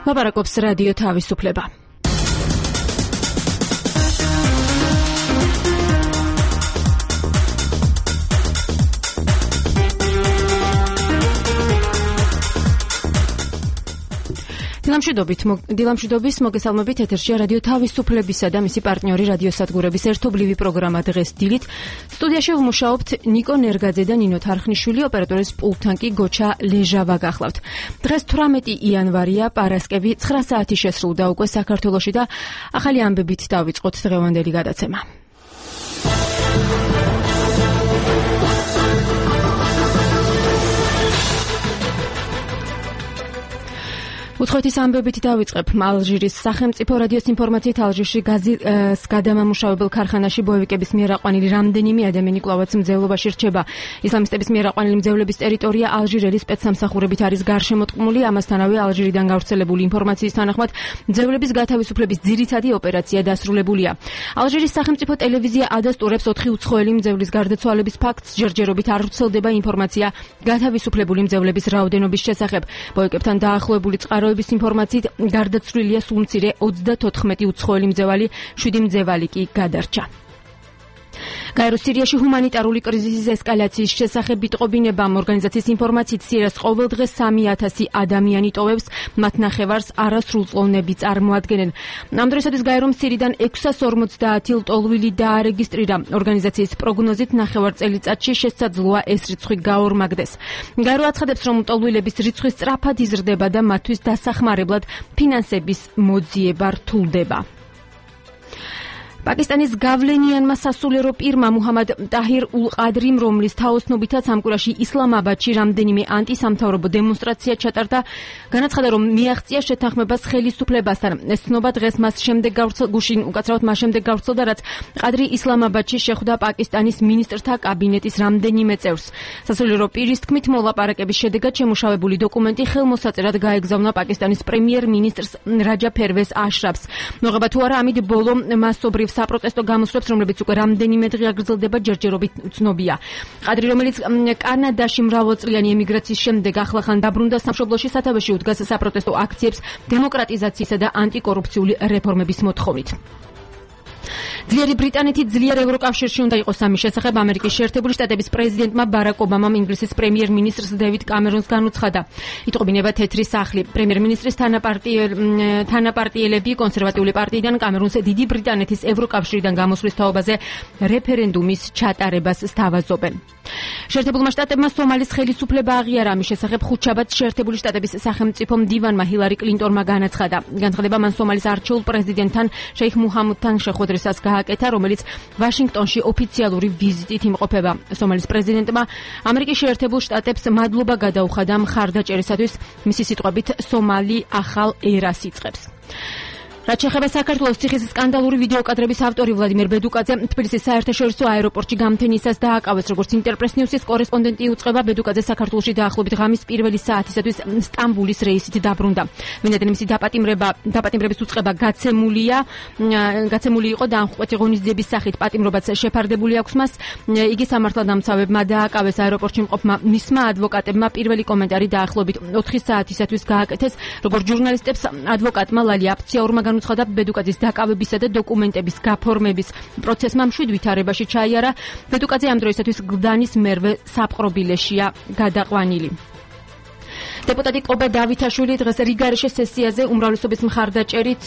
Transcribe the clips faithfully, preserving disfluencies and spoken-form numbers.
ლაპარაკობს რადიო თავისუფლება. დილამშვიდობის მოგესალმებით ეთერშია რადიო თავისუფლებისა და მისი პარტნიორი რადიოსადგურების ერთობლივი პროგრამა დღეს დილით. სტუდიაში ვმუშაობთ ნიკო ნერგაძე და ნინო თარხნიშვილი, ოპერატორის პულტთან კი გოჩა ლეჟავა გახლავთ. დღეს თვრამეტი იანვარია, პარასკევი, ცხრა საათი შესრულდა უკვე საქართველოში და ახალი ამბებით დავიწყოთ დღევანდელი გადაცემა. უცხოეთის ამბებით დავიწყებ. ალჟირის სახელმწიფო რადიოს ინფორმაციით ალჟირში გაზის გადამამუშავებელ ქარხანაში ბოევიკების მიერ აყვანილი რამდენიმე ადამიანი კვლავაც მძევლობაში რჩება. ისლამისტების მიერ აყვანილი მძევლების ტერიტორია ალჟირელი სპეცსამსახურებით არის გარშემოტყმული. ამასთანავე ალჟირიდან გავრცელებული ინფორმაციის თანახმად მძევლების გათავისუფლების ძირითადი ოპერაცია დასრულებულია. ალჟირის სახელმწიფო ტელევიზია ადასტურებს ოთხი უცხოელი მძევლის გარდაცვალების ფაქტს. ჯერჯერობით არ ვრცელდება ინფორმაცია გათავისუფლებული მძევლების რაოდენობის შესახებ. ბოევიკებთან დაახლოებული წყარო ინფორმაციით გარდაცვლილია სულ მცირე ოცდათოთხმეტი უცხოელი მძევალი, შვიდი მძევალი კი გადარჩა. გაეროს სირიაში ჰუმანიტარული კრიზისის ესკალაციის შესახებ იტყობინებამ ორგანიზაციის ინფორმაციით სირიას ყოველდღე სამი ათასი ადამიანი ტოვებს, მათ ნახევარს არასრულწლოვნები წარმოადგენენ. ამ დროისათვის გაერომ სირიდან ექვსას ორმოცდაათი ლტოლვილი დაარეგისტრირა. ორგანიზაციის პროგნოზით ნახევარ წელიწადში შესაძლოა ეს რიცხვი გაორმაგდეს. გაერო აცხადებს, რომ ლტოლვილების რიცხვი სწრაფად იზრდება და მათთვის დასახმარებლად ფინანსების მოძიება რთულდება. პაკისტანის გავლენიანმა სასულიერო პირმა მუჰამად ტაჰირ ულ-ყადრიმ, რომლის თაოსნობითაც ამ კვირაში ისლამაბადში რამდენიმე ანტისამთავრობო დემონსტრაცია ჩატარდა, განაცხადა, რომ მიაღწია შეთანხმებას ხელისუფლებასთან. ეს ცნობა დღეს მას შემდეგ გუშინ უკაცრავად მას შემდეგ გავრცელდა, რაც ყადრი ისლამაბადში შეხვდა პაკისტანის მინისტრთა კაბინეტის რამდენიმე წევრს. სასულიერო პირის თქმით, მოლაპარაკების შედეგად შემუშავებული დოკუმენტი ხელმოსაწერად გაეგზავნა პაკისტანის პრემიერ-მინისტრს რაჯა ფერვეს აშრაფს. მოღება თუ არა, ამით ბოლო მასობრივ საპროტესტო გამოსვლებს, რომლებიც უკვე რამდენიმე დღე აგრძელდება, ჯერჯერობით ცნობია. ყადრი, რომელიც კანადაში მრავალწლიანი ემიგრაციის შემდეგ ახლახან დაბრუნდა სამშობლოში, სათავეში უდგას საპროტესტო აქციებს დემოკრატიზაციისა და ანტიკორუფციული რეფორმების მოთხოვნით. ძლიერი ბრიტანეთი ძლიერ ევროკავშირში უნდა იყოს ამის შესახებ ამერიკის შეერთებული შტატების პრეზიდენტმა ბარაკ ობამამ ინგლისის პრემიერ-მინისტრს დევიდ კამერონს განუცხადა. იტყობინება თეთრი სახლი. პრემიერ-მინისტრის თანაპარტიელები კონსერვატიული პარტიიდან კამერონს დიდი ბრიტანეთის ევროკავშირიდან გამოსვლის თაობაზე რეფერენდუმის ჩატარებას სთავაზობენ. შეერთებულმა შტატებმა სომალის ხელისუფლება აღიარა ამის შესახებ ხუთშაბათს შეერთებული შტატების სახელმწიფო მდივანმა ჰილარი კლინტონმა განაცხადა. განცხადება მან სომალის არჩეულ პრეზიდენტთან შეიხ მუჰამუდთან შეხვედრისას გააკეთა, რომელიც ვაშინგტონში ოფიციალური ვიზიტით იმყოფება. სომალის პრეზიდენტმა ამერიკის შეერთებულ შტატებს მადლობა გადაუხადა მხარდაჭერისათვის. მისი სიტყვებით, სომალი ახალ ერას იწყებს. რაც შეეხება საქართველოს ციხის სკანდალური ვიდეოკადრების ავტორი ვლადიმერ ბედუკაძე თბილისის საერთაშორისო აეროპორტში გამთენისას დააკავეს. როგორც ინტერპრეს ნიუსის კორესპონდენტი უწყება, ბედუკაძე საქართველოში დაახლოებით ღამის პირველი საათისათვის სტამბულის რეისით დაბრუნდა. ვინაიდან მისი დაპატიმრება დაპატიმრების უწყება გაცემულია, გაცემული იყო და ამხყვეთი ღონისძიების სახით პატიმრობაც შეფარდებული აქვს მას. იგი სამართალდამცავებმა დააკავეს აეროპორტში მყოფმა მისმა ადვოკატებმა. პირველი კომენტარი დაახლოებით ოთხი საათისათვის გააკეთეს. როგორც ჟურნალისტებს ადვოკატმა ლალი აფციაურმა განუცხადა, ბედუკაძის დაკავებისა და დოკუმენტების გაფორმების პროცესმა მშვიდ ვითარებაში ჩაიარა. ბედუკაძე ამ დროისათვის გლდანის მერვე საპყრობილეშია გადაყვანილი. დეპუტატი კობა დავითაშვილი დღეს რიგარეშე სესიაზე უმრავლესობის მხარდაჭერით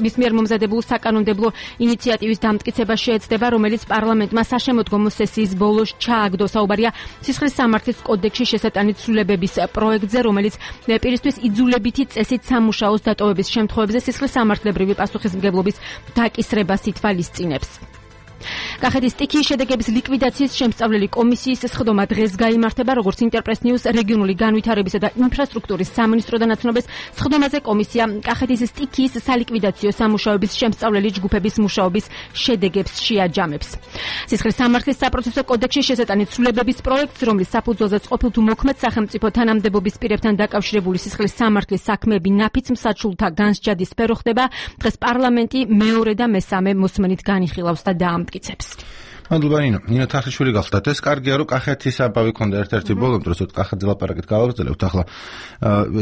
მის მიერ მომზადებულ საკანონმდებლო ინიციატივის დამტკიცება შეეცდება, რომელიც პარლამენტმა საშემოდგომო სესიის ბოლოს ჩააგდო. საუბარია სისხლის სამართლის კოდექსში შესატანით ცვლილებების პროექტზე, რომელიც პირისთვის იძულებითი წესით სამუშაოს დატოვების შემთხვევებზე სისხლის სამართლებრივი პასუხისმგებლობის დაკისრებას ითვალისწინებს. კახეთის სტიქიის შედეგების ლიკვიდაციის შემსწავლელი კომისიის სხდომა დღეს გაიმართება, როგორც ინტერპრეს ნიუს რეგიონული განვითარებისა და ინფრასტრუქტურის სამინისტროდან აცნობს. სხდომაზე კომისია კახეთის სტიქიის სალიკვიდაციო სამუშაოების შემსწავლელი ჯგუფების მუშაობის შედეგებს შეაჯამებს. სისხლის სამართლის საპროცესო კოდექსში შესატანით ცვლილებების პროექტს, რომლის საფუძველზეც ყოფილ თუ მოქმედ სახელმწიფო თანამდებობის პირებთან დაკავშირებული სისხლის სამართლის საქმეები ნაფიც მსაჯულთა განსჯადის სფერო ხდება, დღეს პარლამენტი მეორე და მესამე მოსმენით განიხილავს და დაამტკიცებს. მადლობა ნინო. ნინო თახლიშვილი გახლდათ. ეს კარგია რომ კახეთის აბავი ქონდა ერთ-ერთი ბოლომ დროს კახეთის ლაპარაკით გავაგრძელებთ. ახლა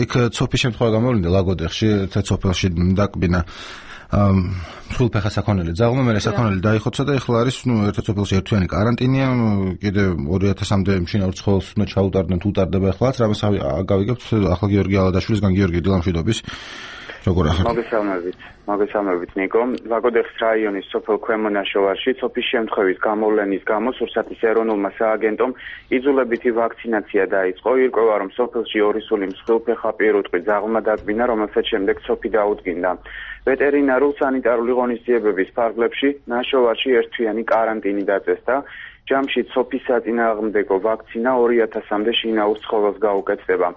იქ ცოფის შემთხვევა გამოვლინდა ლაგოდეხში, ერთ სოფელში დაკბინა სულფეხა საქონელი ძაღლმა, მე საქონელი დაიხოცა და ეხლა არის ნუ ერთ სოფელში ერთთვიანი კარანტინია, კიდე ორი ათასამდე მშინაურ ცხოველს უნდა ჩაუტარდნენ, თუ უტარდება ეხლაც, რამას გავიგებთ ახლა გიორგი ალადაშვილისგან გიორგი დილამშვიდობის. როგორ ახლა მოგესალმებით მოგესალმებით ნიკო ლაგოდეხის რაიონის სოფელ ქვემონაშოვარში ცოფის შემთხვევის გამოვლენის გამო სურსათის ეროვნულმა სააგენტომ იძულებითი ვაქცინაცია დაიწყო. ირკვევა რომ სოფელში ორი სული მსხვილფეხა პირუტყვი ძაღლმა დაკბინა, რომელსაც შემდეგ ცოფი დაუდგინდა. ვეტერინარულ სანიტარული ღონისძიებების ფარგლებში ნაშოვარში ერთთვიანი კარანტინი დაწესდა. ჯამში ცოფის საწინააღმდეგო ვაქცინა ორი ათასამდე შინაურ ცხოველს გაუკეთდება.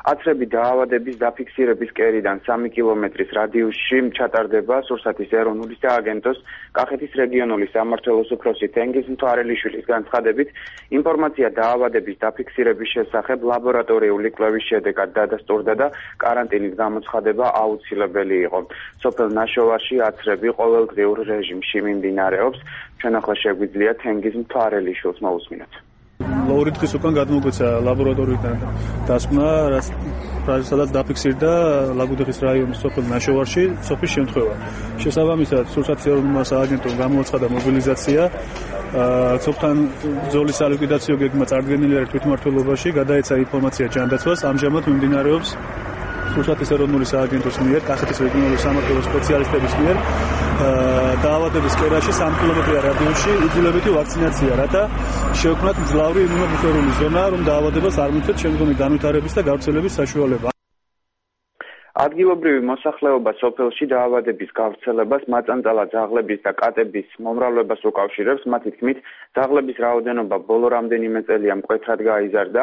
აცრები დაავადების დაფიქსირების კერიდან სამი კილომეტრის რადიუსში ჩატარდება სურსათის ეროვნული სააგენტოს კახეთის რეგიონული სამმართველოს უფროსი თენგიზ მთვარელიშვილის განცხადებით, ინფორმაცია დაავადების დაფიქსირების შესახებ ლაბორატორიული კვლევის შედეგად დადასტურდა და კარანტინის გამოცხადება აუცილებელი იყო. სოფელ ნაშოვარში აცრები ყოველდღიურ რეჟიმში მიმდინარეობს. ჩვენ ახლა შეგვიძლია თენგიზ მთვარელიშვილს მოусმინოთ. ორი დღის უკან გადმოგვეცა ლაბორატორიიდან დასკვნა, სადაც დაფიქსირდა ლაგოდეხის რაიონის სოფელ ნაშოვარში ცოფის შემთხვევა. შესაბამისად, სურსათის ეროვნულმა სააგენტომ გამოაცხადა მობილიზაცია. ცოფთან ბრძოლის სალიკვიდაციო გეგმა წარდგენილი არის თვითმმართველობაში, გადაეცა ინფორმაცია ჯანდაცვას, ამჟამად მიმდინარეობს სურსათის ეროვნული სააგენტოს მიერ, კახეთის რეგიონული სამმართველოს სპეციალისტების მიერ დაავადების კერაში სამი კილომეტრი რადიუსში იძულებითი ვაქცინაცია, რათა შეექმნათ მძლავრი იმუნობუფერული ზონა, რომ დაავადებას არ მიუწევთ შემდგომი განვითარების და გავრცელების საშუალება. ადგილობრივი მოსახლეობა სოფელში დაავადების გავრცელებას მაწანწალა ძაღლების და კატების მომრავლებას უკავშირებს. მათი თქმით, ძაღლების რაოდენობა ბოლო რამდენიმე წელია მკვეთრად გაიზარდა.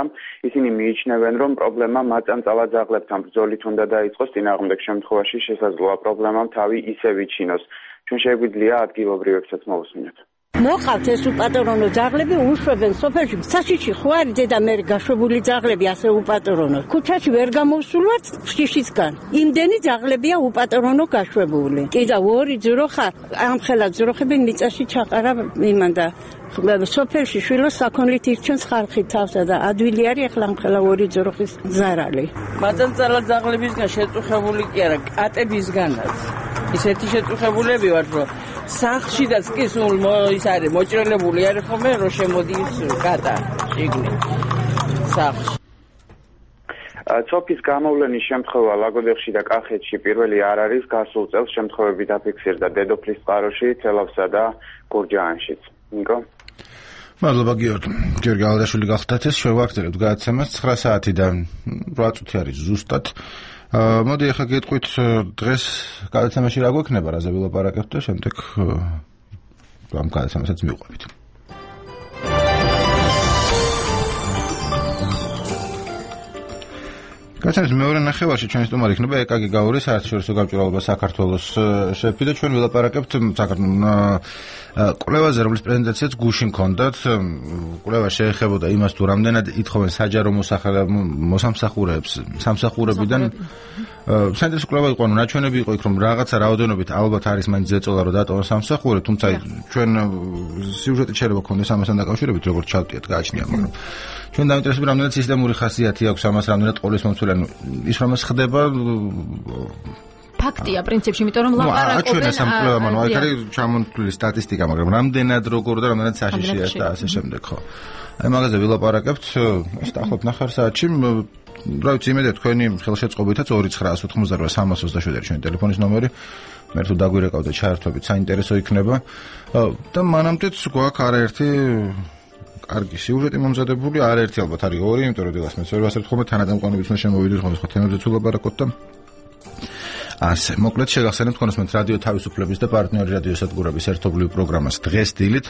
ისინი მიიჩნევენ, რომ პრობლემა მაწანწალა ძაღლებთან ბრძოლით უნდა დაიწყოს, წინააღმდეგ შემთხვევაში შესაძლოა პრობლემამ თავი ისევ იჩინოს. ჩვენ შეგვიძლია ადგილობრივებსაც მოусმინოთ. მოყავთ ეს უპატრონო ძაღლები, უშვებენ სოფელში. საშიში ხო არის დედა მე გაშვებული ძაღლები ასე უპატრონო. ქუჩაში ვერ გამოვსულვართ შიშისგან. იმდენი ძაღლებია უპატრონო გაშვებული. კიდე ორი ძროხა, ამხელა ძროხები მიწაში ჩაყარა იმანდა. სოფელში შვილოს საქონლით ირჩენს ხალხი თავსა და ადვილი არის ახლა ამხელა ორი ძროხის ზარალი. მაწანწალა ძაღლებისგან შეწუხებული კი არა, კატებისგანაც. ისეთი შეწუხებულები ვართ, რომ სახლშიდაც კი სულ ის არის მოჭრელებული არის ხოლმე, რომ შემოდის კატა შიგნით სახლში. ცოფის გამოვლენის შემთხვევა ლაგოდეხში და კახეთში პირველი არ არის. გასულ წელს შემთხვევები დაფიქსირდა დედოფლის წყაროში, თელავსა და გურჯაანშიც. ნიკო მადლობა გიორგი. გიორგი ალადაშვილი გახლდათ. ეს შევაგრძელებთ გადაცემას ცხრა საათიდან რვა წუთი არის ზუსტად. მოდი ახლა გეტყვით დღეს გადაცემაში რა გვექნება, რაზე ვილაპარაკებთ და შემდეგ ამ გადაცემასაც მივყვებით. გადაცემის მეორე ნახევარში ჩვენი სტუმარი იქნება ეკაგი გაურის საერთაშორისო გამჭვირვალობა საქართველოს შეფი და ჩვენ ვილაპარაკებთ კვლევაზე, რომლის პრეზენტაციაც გუშინ ჰქონდათ. კვლევა შეეხებოდა იმას, თუ რამდენად ითხოვენ საჯარო მოსამსახურეებს სამსახურებიდან. საინტერესო კვლევა იყო, ანუ ნაჩვენები იყო იქ, რომ რაღაცა რაოდენობით ალბათ არის მაინც ზეწოლა, რომ დატოვონ სამსახურე, თუმცა ჩვენ სიუჟეტი შეიძლება გქონდეს ამასთან დაკავშირებით, როგორც ჩავტიეთ, გააჩნია, მაგრამ ჩვენ დაინტერესებული რამდენად სისტემური ხასიათი აქვს ამას, რამდენად ყოვლის მომცველი, ანუ ის რამაც ხდება ფაქტია პრინციპში, იმიტომ რომ ლაპარაკობენ. აჩვენა სამკვლევამ, ანუ აქ არის ჩამონთვლილი სტატისტიკა, მაგრამ რამდენად როგორ და რამდენად საშიშია და ასე შემდეგ, ხო. აი მაგაზე ვილაპარაკებთ, ეს დაახლოებით ნახევარ საათში. რა ვიცი, იმედია თქვენი ხელშეწყობითაც ორი ცხრა ოცდაოთხმოცდარვა სამას ოცდაშვიდი ჩვენი ტელეფონის ნომერი. მე თუ დაგვირეკავთ და ჩაერთვებით, საინტერესო იქნება. და მანამდეც გვაქვს არაერთი კარგი სიუჟეტი მომზადებული, არაერთი ალბათ არის ორი, იმიტომ რომ დილას მეც ვერ ვასწრებ ხოლმე თანადამყარნებით უნდა შემოვიდეთ ხოლმე სხვა თემებზე ვილაპარაკოთ და ასე, მოკლედ შეგახსენებთ კონსმენთ რადიო თავისუფლების და პარტნიორი რადიო სადგურების ერთობლივ პროგრამას დღეს დილით.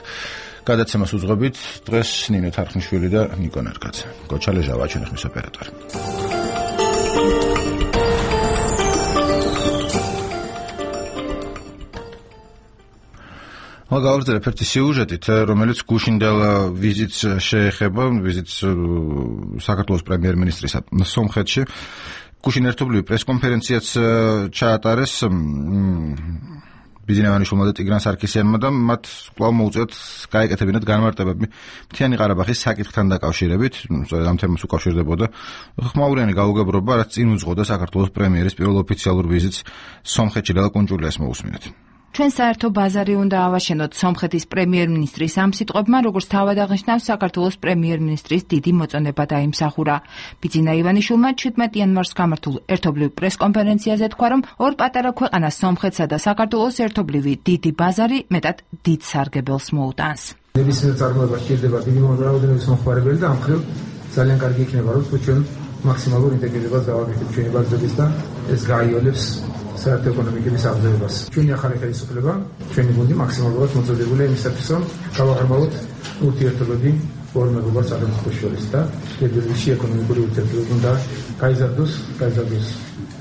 გადაცემას უძღვებით დღეს ნინო თარხნიშვილი და ნიკო ნერგაძე. გოჩა ლეჟავა ჩვენი ხმის ოპერატორი. გავაგრძელებ ერთი სიუჟეტით, რომელიც გუშინდელ ვიზიტს შეეხება, ვიზიტს საქართველოს პრემიერ-მინისტრის სომხეთში. გუშინ ერთობლივი პრესკონფერენციაც ჩაატარეს ბიზნევანიშვილმა და ტიგრან სარქისიანმა და მათ კვლავ მოუწიოთ გაეკეთებინათ განმარტებები მთიანი ყარაბაღის საკითხთან დაკავშირებით, სწორედ ამ თემას უკავშირდებოდა ხმაურიანი გაუგებრობა, რაც წინ უძღოდა საქართველოს პრემიერის პირველ ოფიციალურ ვიზიტს სომხეთში. ლელა კუნჭულიას მოусმინეთ. ჩვენ საერთო ბაზარი უნდა ავაშენოთ. სომხეთის პრემიერ-მინისტრის ამ სიტყვებმა, როგორც თავად აღნიშნავს, საქართველოს პრემიერ-მინისტრის დიდი მოწონება დაიმსახურა. ბიძინა ივანიშვილმა შვიდმეტ იანვარს გამართულ ერთობლივ პრესკონფერენციაზე თქვა, რომ ორ პატარა ქვეყანას სომხეთსა და საქართველოს ერთობლივი დიდი ბაზარი მეტად დიდ სარგებელს მოუტანს. ნებისმიერ წარმოება სჭირდება დიდი რაოდენობის მომხმარებელი და ამ მხრივ ძალიან კარგი იქნება, რომ ჩვენ მაქსიმალურ ინტეგრირებას გავაკეთებთ ჩვენი ბაზრების და ეს გაიოლებს საერთო ეკონომიკის აღზევებას. ჩვენი ახალი ხელისუფლება, ჩვენი გუნდი მაქსიმალურად მოწოდებულია იმისათვის, რომ გავაღრმავოთ ურთიერთობები ორ მეგობრად სახელმწიფოს შორის და ერთადერთი ეკონომიკური ურთიერთობები უნდა გაიზარდოს, გაიზარდოს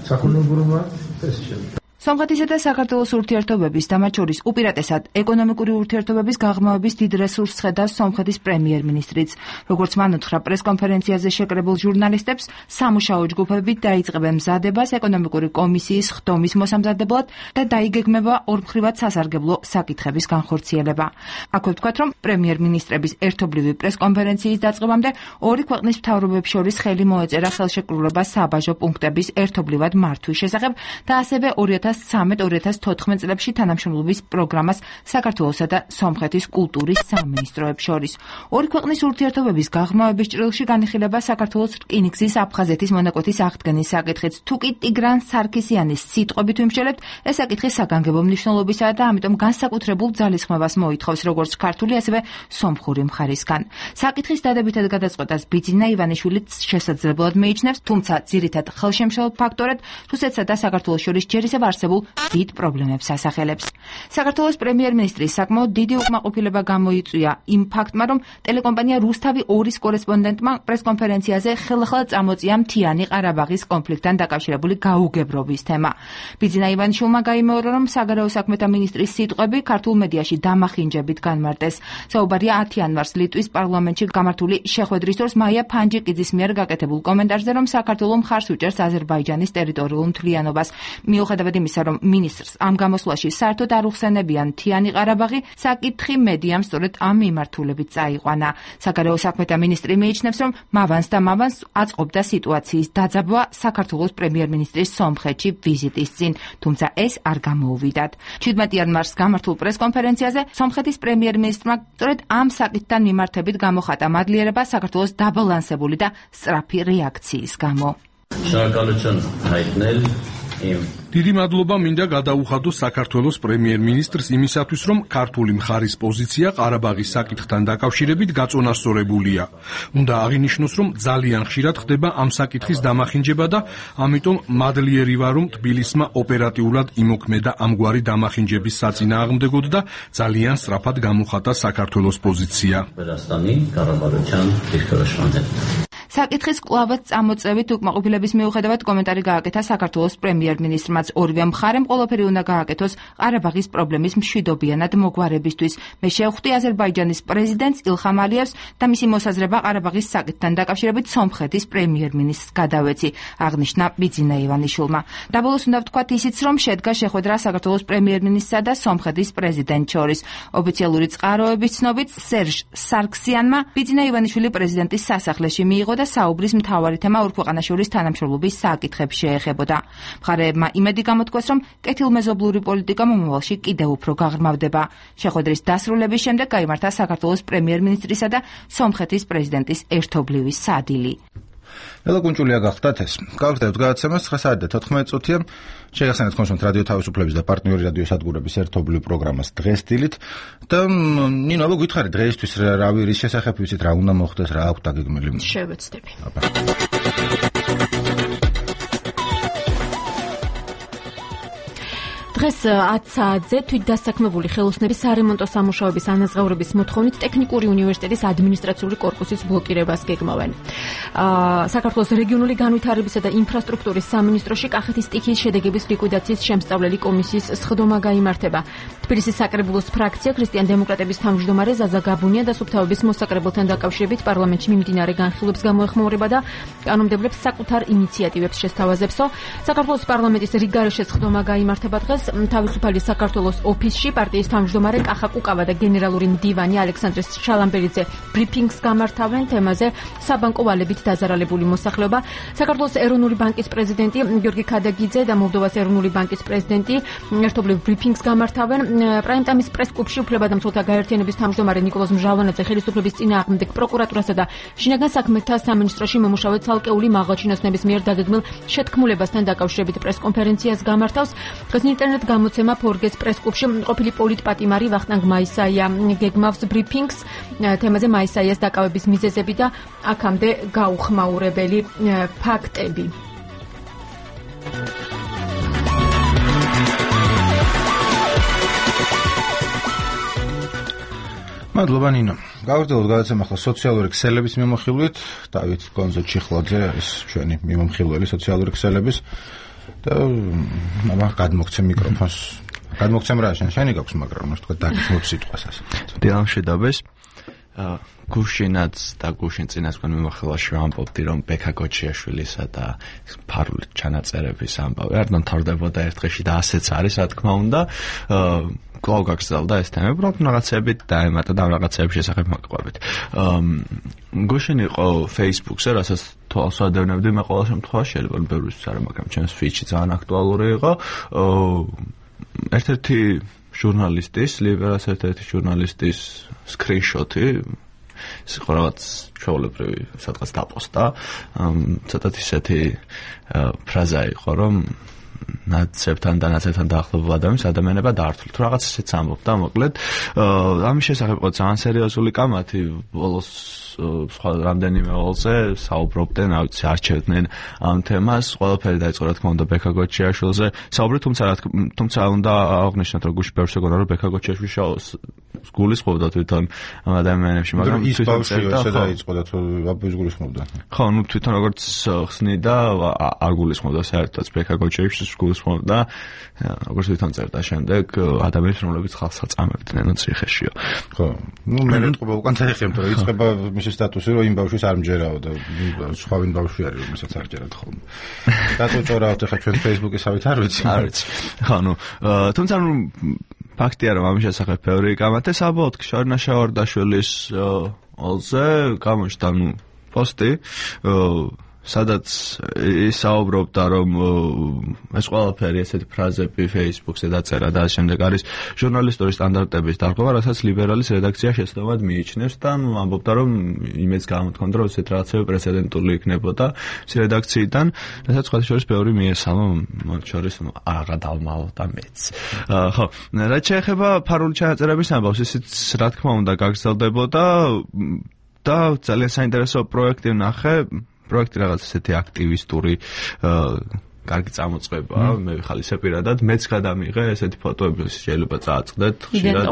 საქონელურობა ეს შეიძლება. სომხეთისა და საქართველოს ურთიერთობების და მათ შორის უპირატესად ეკონომიკური ურთიერთობების გაღრმავების დიდ რესურსს ხედავს სომხეთის პრემიერ-მინისტრიც. როგორც მან უთხრა პრესკონფერენციაზე შეკრებილ ჟურნალისტებს, სამუშაო ჯგუფები დაიწყებენ მზადებას ეკონომიკური კომისიის ხდომის მოსამზადებლად და დაიგეგმება ორმხრივად სასარგებლო საკითხების განხორციელება. აქვე ვთქვათ, რომ პრემიერ-მინისტრების ერთობლივი პრესკონფერენციის დაწყებამდე ორი ქვეყნის მთავრობებს შორის ხელი მოეწერა ხელშეკრულება საბაჟო პუნქტების ერთობლივად მართვის შესახებ და ასევე ორი ათას ცხრამეტ ორი ათას თოთხმეტ წლებში თანამშრომლობის პროგრამას საქართველოსა და სომხეთის კულტურის სამინისტროებს შორის. ორი ქვეყნის ურთიერთობების გაღრმავების ჭრილში განიხილება საქართველოს რკინიგზის აფხაზეთის მონაკვეთის აღდგენის საკითხიც. თუკი ტიგრან სარქისიანის სიტყვებით ვიმსჯელებთ, ეს საკითხი საგანგებო მნიშვნელობისაა და ამიტომ განსაკუთრებულ ძალისხმევას მოითხოვს როგორც ქართული, ასევე სომხური მხარისგან. საკითხის დადებითად გადაწყვეტას ბიძინა ივანიშვილი შესაძლებლად მიიჩნევს, თუმცა ძირითად ხელშემშლელ ფაქტორად რუსეთსა და საქართველოს შორის ჯერისევ არსებულ დიდ პრობლემებს ასახელებს. საქართველოს პრემიერ-მინისტრის საკმაოდ დიდი უკმაყოფილება გამოიწვია იმ ფაქტმა, რომ ტელეკომპანია რუსთავი ორის კორესპონდენტმა პრესკონფერენციაზე ხელახლა წამოწია მთიანი ყარაბაღის კონფლიქტთან დაკავშირებული გაუგებრობის თემა. ბიძინა ივანიშვილმა გაიმეორა, რომ საგარეო საქმეთა მინისტრის სიტყვები ქართულ მედიაში დამახინჯებით განმარტეს. საუბარია ათი იანვარს ლიტვის პარლამენტში გამართული შეხვედრის დროს მაია ფანჯიკიძის მიერ გაკეთებულ კომენტარზე, რომ საქართველო მხარს უჭერს აზერბაიჯანის ტერიტორიულ მთლიანობას. მიუხედავად იმისა, რომ მინისტრს ამ გამოსვლაში საერთოდ არ უხსენებიან მთიანი ყარაბაღი, საკითხი მედიამ სწორედ ამ მიმართულებით წაიყვანა. საგარეო საქმეთა მინისტრი მიიჩნევს, რომ მავანს და მავანს აწყობდა სიტუაციის დაძაბვა საქართველოს პრემიერ-მინისტრის სომხეთში ვიზიტის წინ, თუმცა ეს არ გამოუვიდათ. შვიდმეტ იანვარს გამართულ პრესკონფერენციაზე სომხეთის პრემიერ-მინისტრმა სწორედ ამ საკითხთან მიმართებით გამოხატა მადლიერება საქართველოს დაბალანსებული და სწრაფი რეაქციის გამო. დიდი მადლობა მინდა გადაუხადოს საქართველოს პრემიერ-მინისტრს იმისათვის, რომ ქართული მხარის პოზიცია ყარაბაღის საკითხთან დაკავშირებით გაწონასწორებულია. უნდა აღინიშნოს, რომ ძალიან ხშირად ხდება ამ საკითხის დამახინჯება და ამიტომ მადლიერი ვარ, რომ თბილისმა ოპერატიულად იმოქმედა ამგვარი დამახინჯების საწინააღმდეგოდ და ძალიან სწრაფად გამოხატა საქართველოს პოზიცია. საკითხის კვლავაც წამოწევით უკმაყოფილების მიუხედავად კომენტარი გააკეთა საქართველოს პრემიერ-მინისტრმაც. ორივე მხარემ ყველაფერი უნდა გააკეთოს ყარაბაღის პრობლემის მშვიდობიანად მოგვარებისთვის. მე შევხვდი აზერბაიჯანის პრეზიდენტს ილხამ ალიევს და მისი მოსაზრება ყარაბაღის საკითხთან დაკავშირებით სომხეთის პრემიერ-მინისტრს გადავეცი, აღნიშნა ბიძინა ივანიშვილმა. დაბოლოს უნდა ვთქვათ ისიც, რომ შედგა შეხვედრა საქართველოს პრემიერ-მინისტრსა და სომხეთის პრეზიდენტს შორის. ოფიციალური წყაროების ცნობით სერჟ სარქსიანმა ბიძინა ივანიშვილი პრეზიდენტის სასახლეში მიიღო და საუბრის მთავარი თემა ორ ქვეყანას შორის თანამშრომლობის საკითხებს შეეხებოდა. მხარეებმა იმედი გამოთქვეს, რომ კეთილმეზობლური პოლიტიკა მომავალში კიდევ უფრო გაღრმავდება. შეხვედრის დასრულების შემდეგ გაიმართა საქართველოს პრემიერ-მინისტრისა და სომხეთის პრეზიდენტის ერთობლივი სადილი. ლელა კუნჭულია გახდათ ეს. გავხდეთ გადაცემას ცხრა საათი და თოთხმეტ წუთია. შეგახსენებთ კონსულტ რადიო თავისუფლების და პარტნიორი რადიო სადგურების ერთობლივ პროგრამას დღეს დილით და ნინო აბა გითხარი დღეისთვის რა ვირის შესახებ ვიცით რა უნდა მოხდეს რა აქვს დაგეგმილი? შევეცდები. დღეს ათ საათზე თვითდასაქმებული ხელოსნების სარემონტო სამუშაოების ანაზღაურების მოთხოვნით ტექნიკური უნივერსიტეტის ადმინისტრაციული კორპუსის ბლოკირებას გეგმავენ. საქართველოს რეგიონული განვითარებისა და ინფრასტრუქტურის სამინისტროში კახეთის სტიქიის შედეგების ლიკვიდაციის შემსწავლელი კომისიის სხდომა გაიმართება. თბილისის საკრებულოს ფრაქცია ქრისტიან დემოკრატების თავმჯდომარე ზაზა გაბუნია და სუფთავების მოსაკრებელთან დაკავშირებით პარლამენტში მიმდინარე განხილვებს გამოეხმაურება და კანონმდებლებს საკუთარ ინიციატივებს შესთავაზებსო. საქართველოს პარლამენტის რიგგარეშე სხდომა გაიმართება დღეს. თავისუფალი საქართველოს ოფისში პარტიის თავმჯდომარე კახა კუკავა და გენერალური მდივანი ალექსანდრე შალამბერიძე ბრიფინგს გამართავენ თემაზე საბანკო ვალებით დაზარალებული მოსახლეობა. საქართველოს ეროვნული ბანკის პრეზიდენტი გიორგი ქადაგიძე და მოლდოვას ეროვნული ბანკის პრეზიდენტი ერთობლივ ბრიფინგს გამართავენ. პრაიმტაიმის პრეს-კლუბში უფლებადამცველთა გაერთიანების თავმჯდომარე ნიკოლოზ მჟავანაძე ხელისუფლების წინააღმდეგ პროკურატურასა და შინაგან საქმეთა სამინისტროში მომუშავე ცალკეული მაღალჩინოსნების მიერ დაგეგმილ შეთქმულებასთან დაკავშირებით პრეს-კონფერენციას გამართავს. დღეს ინტერნეტ გამოცემა ფორგეს პრეს-კლუბში ყოფილი პოლიტპატიმარი ვახტანგ მაისაია გეგმავს ბრიფინგს თემაზე მაისაიას დაკავების მიზეზები და აქამდე გაუხმაურებელი ფაქტები. მადლობა ნინო. გავაგრძელოთ გადაცემა ახლა სოციალური ქსელების მიმოხილვით. დავით გონზო ჩიხლაძე ის ჩვენი მიმოხილველი სოციალური ქსელების და მაგ გადმოგცემ მიკროფონს. გადმოგცემ რა შენ შენი გაქვს მაგრამ უნდა თქვა დაგიწმოთ სიტყვას ასე. დიამშვიდობეს. გუშინაც და გუშინ წინასწარ მიმოხილვაში ვამბობდი რომ ბექა გოჩიაშვილისა და ფარული ჩანაწერების ამბავი არ დამთავრდებოდა ერთ დღეში და ასეც არის რა თქმა უნდა. კვლავ გაგრძელდა ეს თემები, რომ რაღაცებით დაემატა და რაღაცების შესახებ მოგყვებით. გუშინ იყო Facebook-ზე, რასაც თვალს ვადევნებდი, მე ყოველ შემთხვევაში შეიძლება ბევრისთვის არა, მაგრამ ჩემს feed-ში ძალიან აქტუალური იყო. ერთ-ერთი ჟურნალისტის, ლიბერას ერთ-ერთი ჟურნალისტის screenshot-ი იყო რაღაც ჩვეულებრივი სადღაც დაპოსტა. ცოტათ ისეთი ფრაზა იყო, რომ ნაცებთან და ნაცებთან დაახლოებულ ადამიანს ადამიანება დაართვით. თუ რაღაც ისეც ამბობდა, მოკლედ, ამის შესახებ იყო ძალიან სერიოზული კამათი, ბოლოს სხვა რამდენიმე ოლზე საუბრობდნენ, ავიცი, არჩევდნენ ამ თემას. ყველაფერი დაიწყო რა თქმა უნდა ბექა გოჩიაშვილზე. საუბრობთ, თუმცა თუმცა უნდა აღნიშნოთ, რომ გუშინ ბევრს ეგონა, რომ ბექა გოჩიაშვილი გულისხმობდა თვითონ ამ ადამიანებში, მაგრამ ის ბავშვი ესე დაიწყო და თუ აბუს გულისხმობდა. ხო, ნუ თვითონ როგორც ხსნიდა, არ გულისხმობდა საერთოდ ბექა გოჩიაშვილს გულისხმობდა, როგორც თვითონ წერდა შემდეგ ადამიანებს, რომლებიც ხალხს აწამებდნენ ციხეშიო. ხო, ნუ მე მეტყობა უკან წაიხემთ, რომ იწყება მისი სტატუსი, რომ იმ ბავშვის არ მჯერაო და სხვა ვინ ბავშვი არის, რომელსაც არ ჯერათ ხოლმე. დაწუწორავთ ახლა ჩვენ Facebook-ისავით არ ვიცი. არ ვიცი. ხო, ნუ თუმცა ნუ ფაქტია რომ ამის შესახებ ბევრი გამართა საბოლოოდ შარნა შავარდაშვილის ოლზე გამოჩნდა ნუ პოსტი სადაც ისაუბრობდა რომ ეს ყველაფერი ესეთი ფრაზები Facebook-ზე დაწერა და შემდეგ არის ჟურნალისტური სტანდარტების დარღვევა, რასაც ლიბერალის რედაქცია შეცდომად მიიჩნევს და ამბობდა რომ იმეც გამოთქონდა რომ ესეთ რაღაცები პრეცედენტული იქნებოდა ეს რედაქციიდან, რასაც სხვა შორის ბევრი მიესალმა, მათ შორის აღა დავმალო და მეც. ხო, რაც შეეხება ფარული ჩანაწერების ამბავს, ისიც რა თქმა უნდა გაგრძელდებოდა და ძალიან საინტერესო პროექტი ვნახე. პროექტი რაღაც ესეთი აქტივისტური კარგი წამოწყება, მე ვიხალისე პირადად, მეც გადამიღე ესეთი ფოტოები შეიძლება წააწყდეთ ხშირად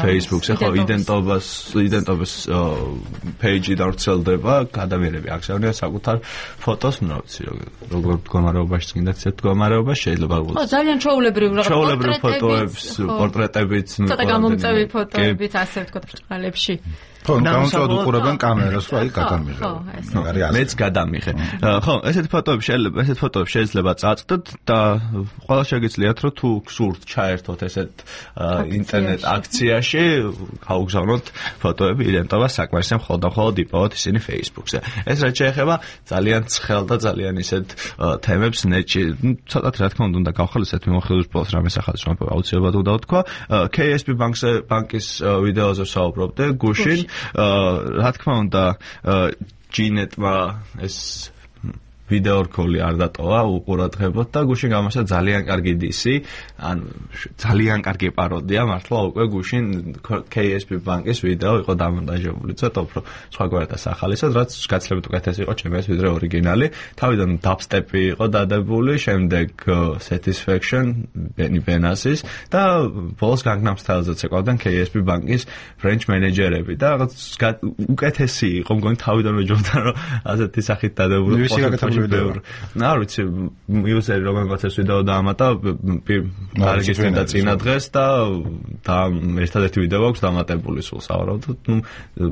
Facebook-ზე, ხო, იდენტობას, იდენტობის page-ი დავრცელდება, გადამიერები აქციონერია საკუთარ ფოტოს, ნუ რა ვიცი, როგორ მდგომარეობაში წინდა ისეთ მდგომარეობაში შეიძლება ხო, ძალიან ჩვეულებრივ რაღაც ჩვეულებრივ ფოტოებს, პორტრეტებიც, ნუ ცოტა გამომწევი ფოტოებიც ასე ვთქვათ ბრჭყალებში. ხო, გამომწევად უყურებენ კამერას, რა იქ გადამიღე. მეც გადამიღე. ხო, ესეთი ფოტოები შეიძლება, ესეთი ფოტოები შეიძლება წააწყდეთ და ყველა შეგიძლიათ რომ თუ გსურთ ჩაერთოთ ესეთ ინტერნეტ აქციაში, გაუგზავნოთ ფოტოები იდენტობას საკმარისია მხოლოდ და მხოლოდ იპოვოთ ისინი Facebook-ზე. ეს რაც შეეხება ძალიან ცხელ და ძალიან ისეთ თემებს ნეტში, ცოტათ რა თქმა უნდა გავხალისეთ მიმოხილვის პოსტს რამეს ახალს რომ აუცილებლად უნდა ვთქვა. K S B ბანკზე ბანკის ვიდეოზე საუბრობდე გუშინ. რა თქმა უნდა ჯინეტმა ეს ვიდეო რკოლი არ დატოვა უყურადღებოთ და გუშინ გამოსცა ძალიან კარგი დისი, ან ძალიან კარგი პაროდია მართლა უკვე გუშინ K S B ბანკის ვიდეო იყო დამონტაჟებული, ცოტა უფრო სხვაგვარად ახალისად, რაც გაცილებით უკეთესი იყო ჩემს ვიდრე ორიგინალი. თავიდან dubstep-ი იყო დადებული, შემდეგ Satisfaction Benny Benassis და ბოლოს Gangnam Style-ზე ცეკვავდნენ K S B ბანკის French მენეჯერები და რაღაც უკეთესი იყო, მგონი თავიდანვე ჯობდა რომ ასეთი სახით დადებული. ვიდეო. არ ვიცი, იუზერი რომელმაც ეს ვიდეო დაამატა, არეგისტრირდა წინა დღეს და და ერთადერთი ვიდეო აქვს დამატებული სულ სავარაუდოდ. ნუ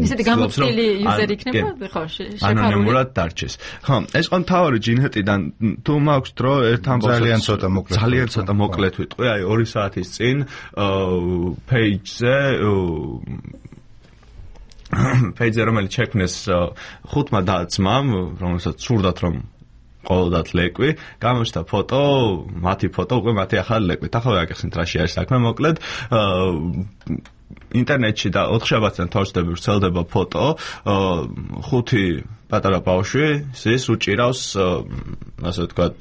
ისეთი გამოცდილი იუზერი იქნება, ხო, შეფარული. ანონიმურად დარჩეს. ხო, ეს ყო მთავარი ჯინეტიდან თუ მაქვს დრო ერთ ამბავს ძალიან ცოტა მოკლედ. ძალიან ცოტა მოკლედ ვიტყვი, აი ორი საათის წინ page-ზე page-ზე რომელიც შექმნეს ხუთმა და-ძმამ, რომელსაც სურდათ რომ ყოველდღიურად ლეკვი, გამოჩნდა ფოტო, მათი ფოტო, უკვე მათი ახალი ლეკვით. ახლა გაგეხსნით რაში არის საქმე, მოკლედ ინტერნეტში და ოთხშაბათიდან თორსდები ვრცელდება ფოტო, ხუთი პატარა ბავშვი, ის უჭირავს, ასე ვთქვათ,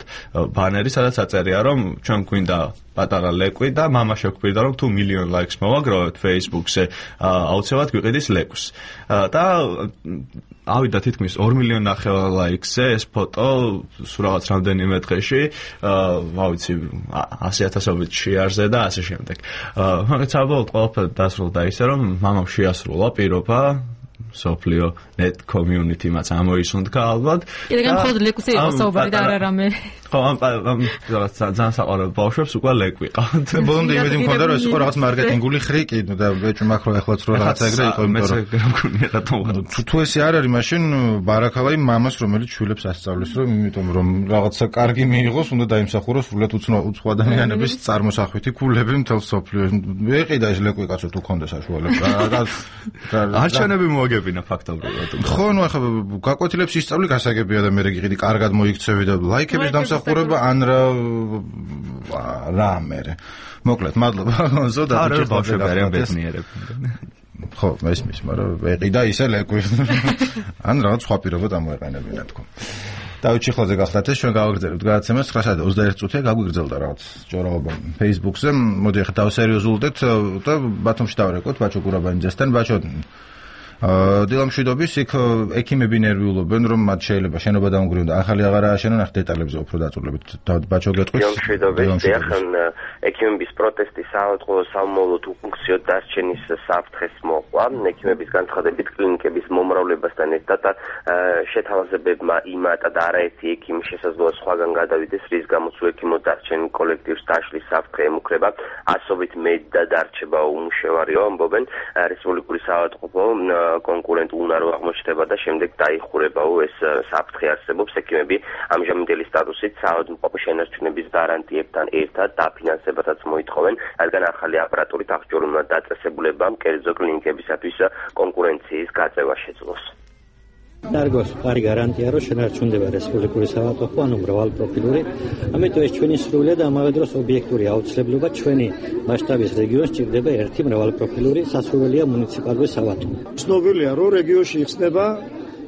ბანერი, სადაც აწერია, რომ ჩვენ გვინდა პატარა ლეკვი და მამა შეგვირდა, რომ თუ მილიონ ლაიქს მოვაგროვებთ Facebook-ზე, აუცილებლად გვიყიდის ლეკვს. და ავიდა თითქმის ორი მილიონი ნახევარ ლაიქზე ეს ფოტო, სულ რაღაც რამდენიმე დღეში, რა ვიცი, ასი ათასობით შეარზე და ასე შემდეგ. მაგრამ საბოლოოდ ყველაფერი დასრულდა ისე, რომ მამამ შეასრულა პირობა სოფლიო net community-მაც ამოისუნთქა ალბათ. კიდევ მხოლოდ ლეკვზე იყო საუბარი და არა რამე. ხო, ამ ძალიან საყვარელ ბავშვებს უკვე ლეკვი ყავთ. ბოლომდე იმედი მქონდა რომ ეს იყო რაღაც მარკეტინგული ხრიკი და ბეჭვ მაქრო ახლაც რო რაღაც ეგრე იყო, იმიტომ რომ თუ ესე არ არის, მაშინ ბარაქალაი მამას რომელიც შვილებს ასწავლის, რომ იმიტომ რომ რაღაცა კარგი მიიღოს, უნდა დაიმსახუროს სრულად უცხო ადამიანების წარმოსახვითი ქულები მთელ სოფლიოში. ეყიდა ეს ლეკვი კაცო თუ ქონდა საშუალება. არჩევნები მოაგებინა ფაქტობრივად. ხო, ნუ ახლა გაკვეთილებს ისწავლი გასაგებია და მე რეგიყიდი კარგად მოიქცევი და ლაიქების დამსახურება ან რა რა მე. მოკლედ, მადლობა. ზოდა არა ბავშვები არიან ბედნიერები. ხო, მესმის, მაგრამ ეყიდა ისე ლეკვი. ან რაღაც სხვა პირობა დამოეყენებინა თქო. დავით ჩიხლაძე გახლდათ ეს ჩვენ გავაგრძელებთ გადაცემას ცხრა საათი ოცდაერთი წუთია გაგვიგრძელდა რაღაც ჭორაობა Facebook-ზე. მოდი ახლა დავსერიოზულდეთ და ბათუმში დავრეკოთ ბაჩო გურაბანიძესთან. ბაჩო დილამშვიდობის იქ ექიმები ნერვიულობენ რომ მათ შეიძლება შენობა დაუნგრიონ და ახალი აღარ ააშენონ. ახ დეტალებზე უფრო დაწურებით ბაჩო გეტყვით. დილამშვიდობის ეხან ექიმების პროტესტი საავადმყოფო სამმავლოდ უფუნქციოდ დარჩენის საფრთხეს მოყვა. ექიმების განცხადებით კლინიკების მომრავლებასთან ერთად შეთავაზებებმა იმატა და არაერთი ექიმი შესაძლოა სხვაგან გადავიდეს, რის გამოც ექიმო დარჩენილ კოლექტივს დაშლის საფრთხე ემუქრება. ასობით მეტ და დარჩება უმუშევარიო, ამბობენ რესპუბლიკური საავადმყოფო კონკურენტ უნარო აღმოჩნდება და შემდეგ დაიხურებაო ეს საფრთხე არსებობს. ექიმები ამჟამინდელი სტატუსით საავადმყოფო შენარჩუნების გარანტიებთან ერთად დაფინანსებასაც მოითხოვენ, რადგან ახალი აპარატურით აღჭურვილმა დაწესებულებამ კერძო კლინიკებისათვის კონკურენციის გაწევა შეძლოს. დარგოს ფარი გარანტია რომ შენარჩუნდება რესპუბლიკური საავადმყოფო, ანუ მრავალპროფილური, ამიტომ ეს ჩვენი სრულიად და ამავე დროს ობიექტური აუცილებლობა ჩვენი მასშტაბის რეგიონს ჭირდება ერთი მრავალპროფილური სასურველია მუნიციპალური საავადმყოფო. ცნობილია რომ რეგიონში იხსნება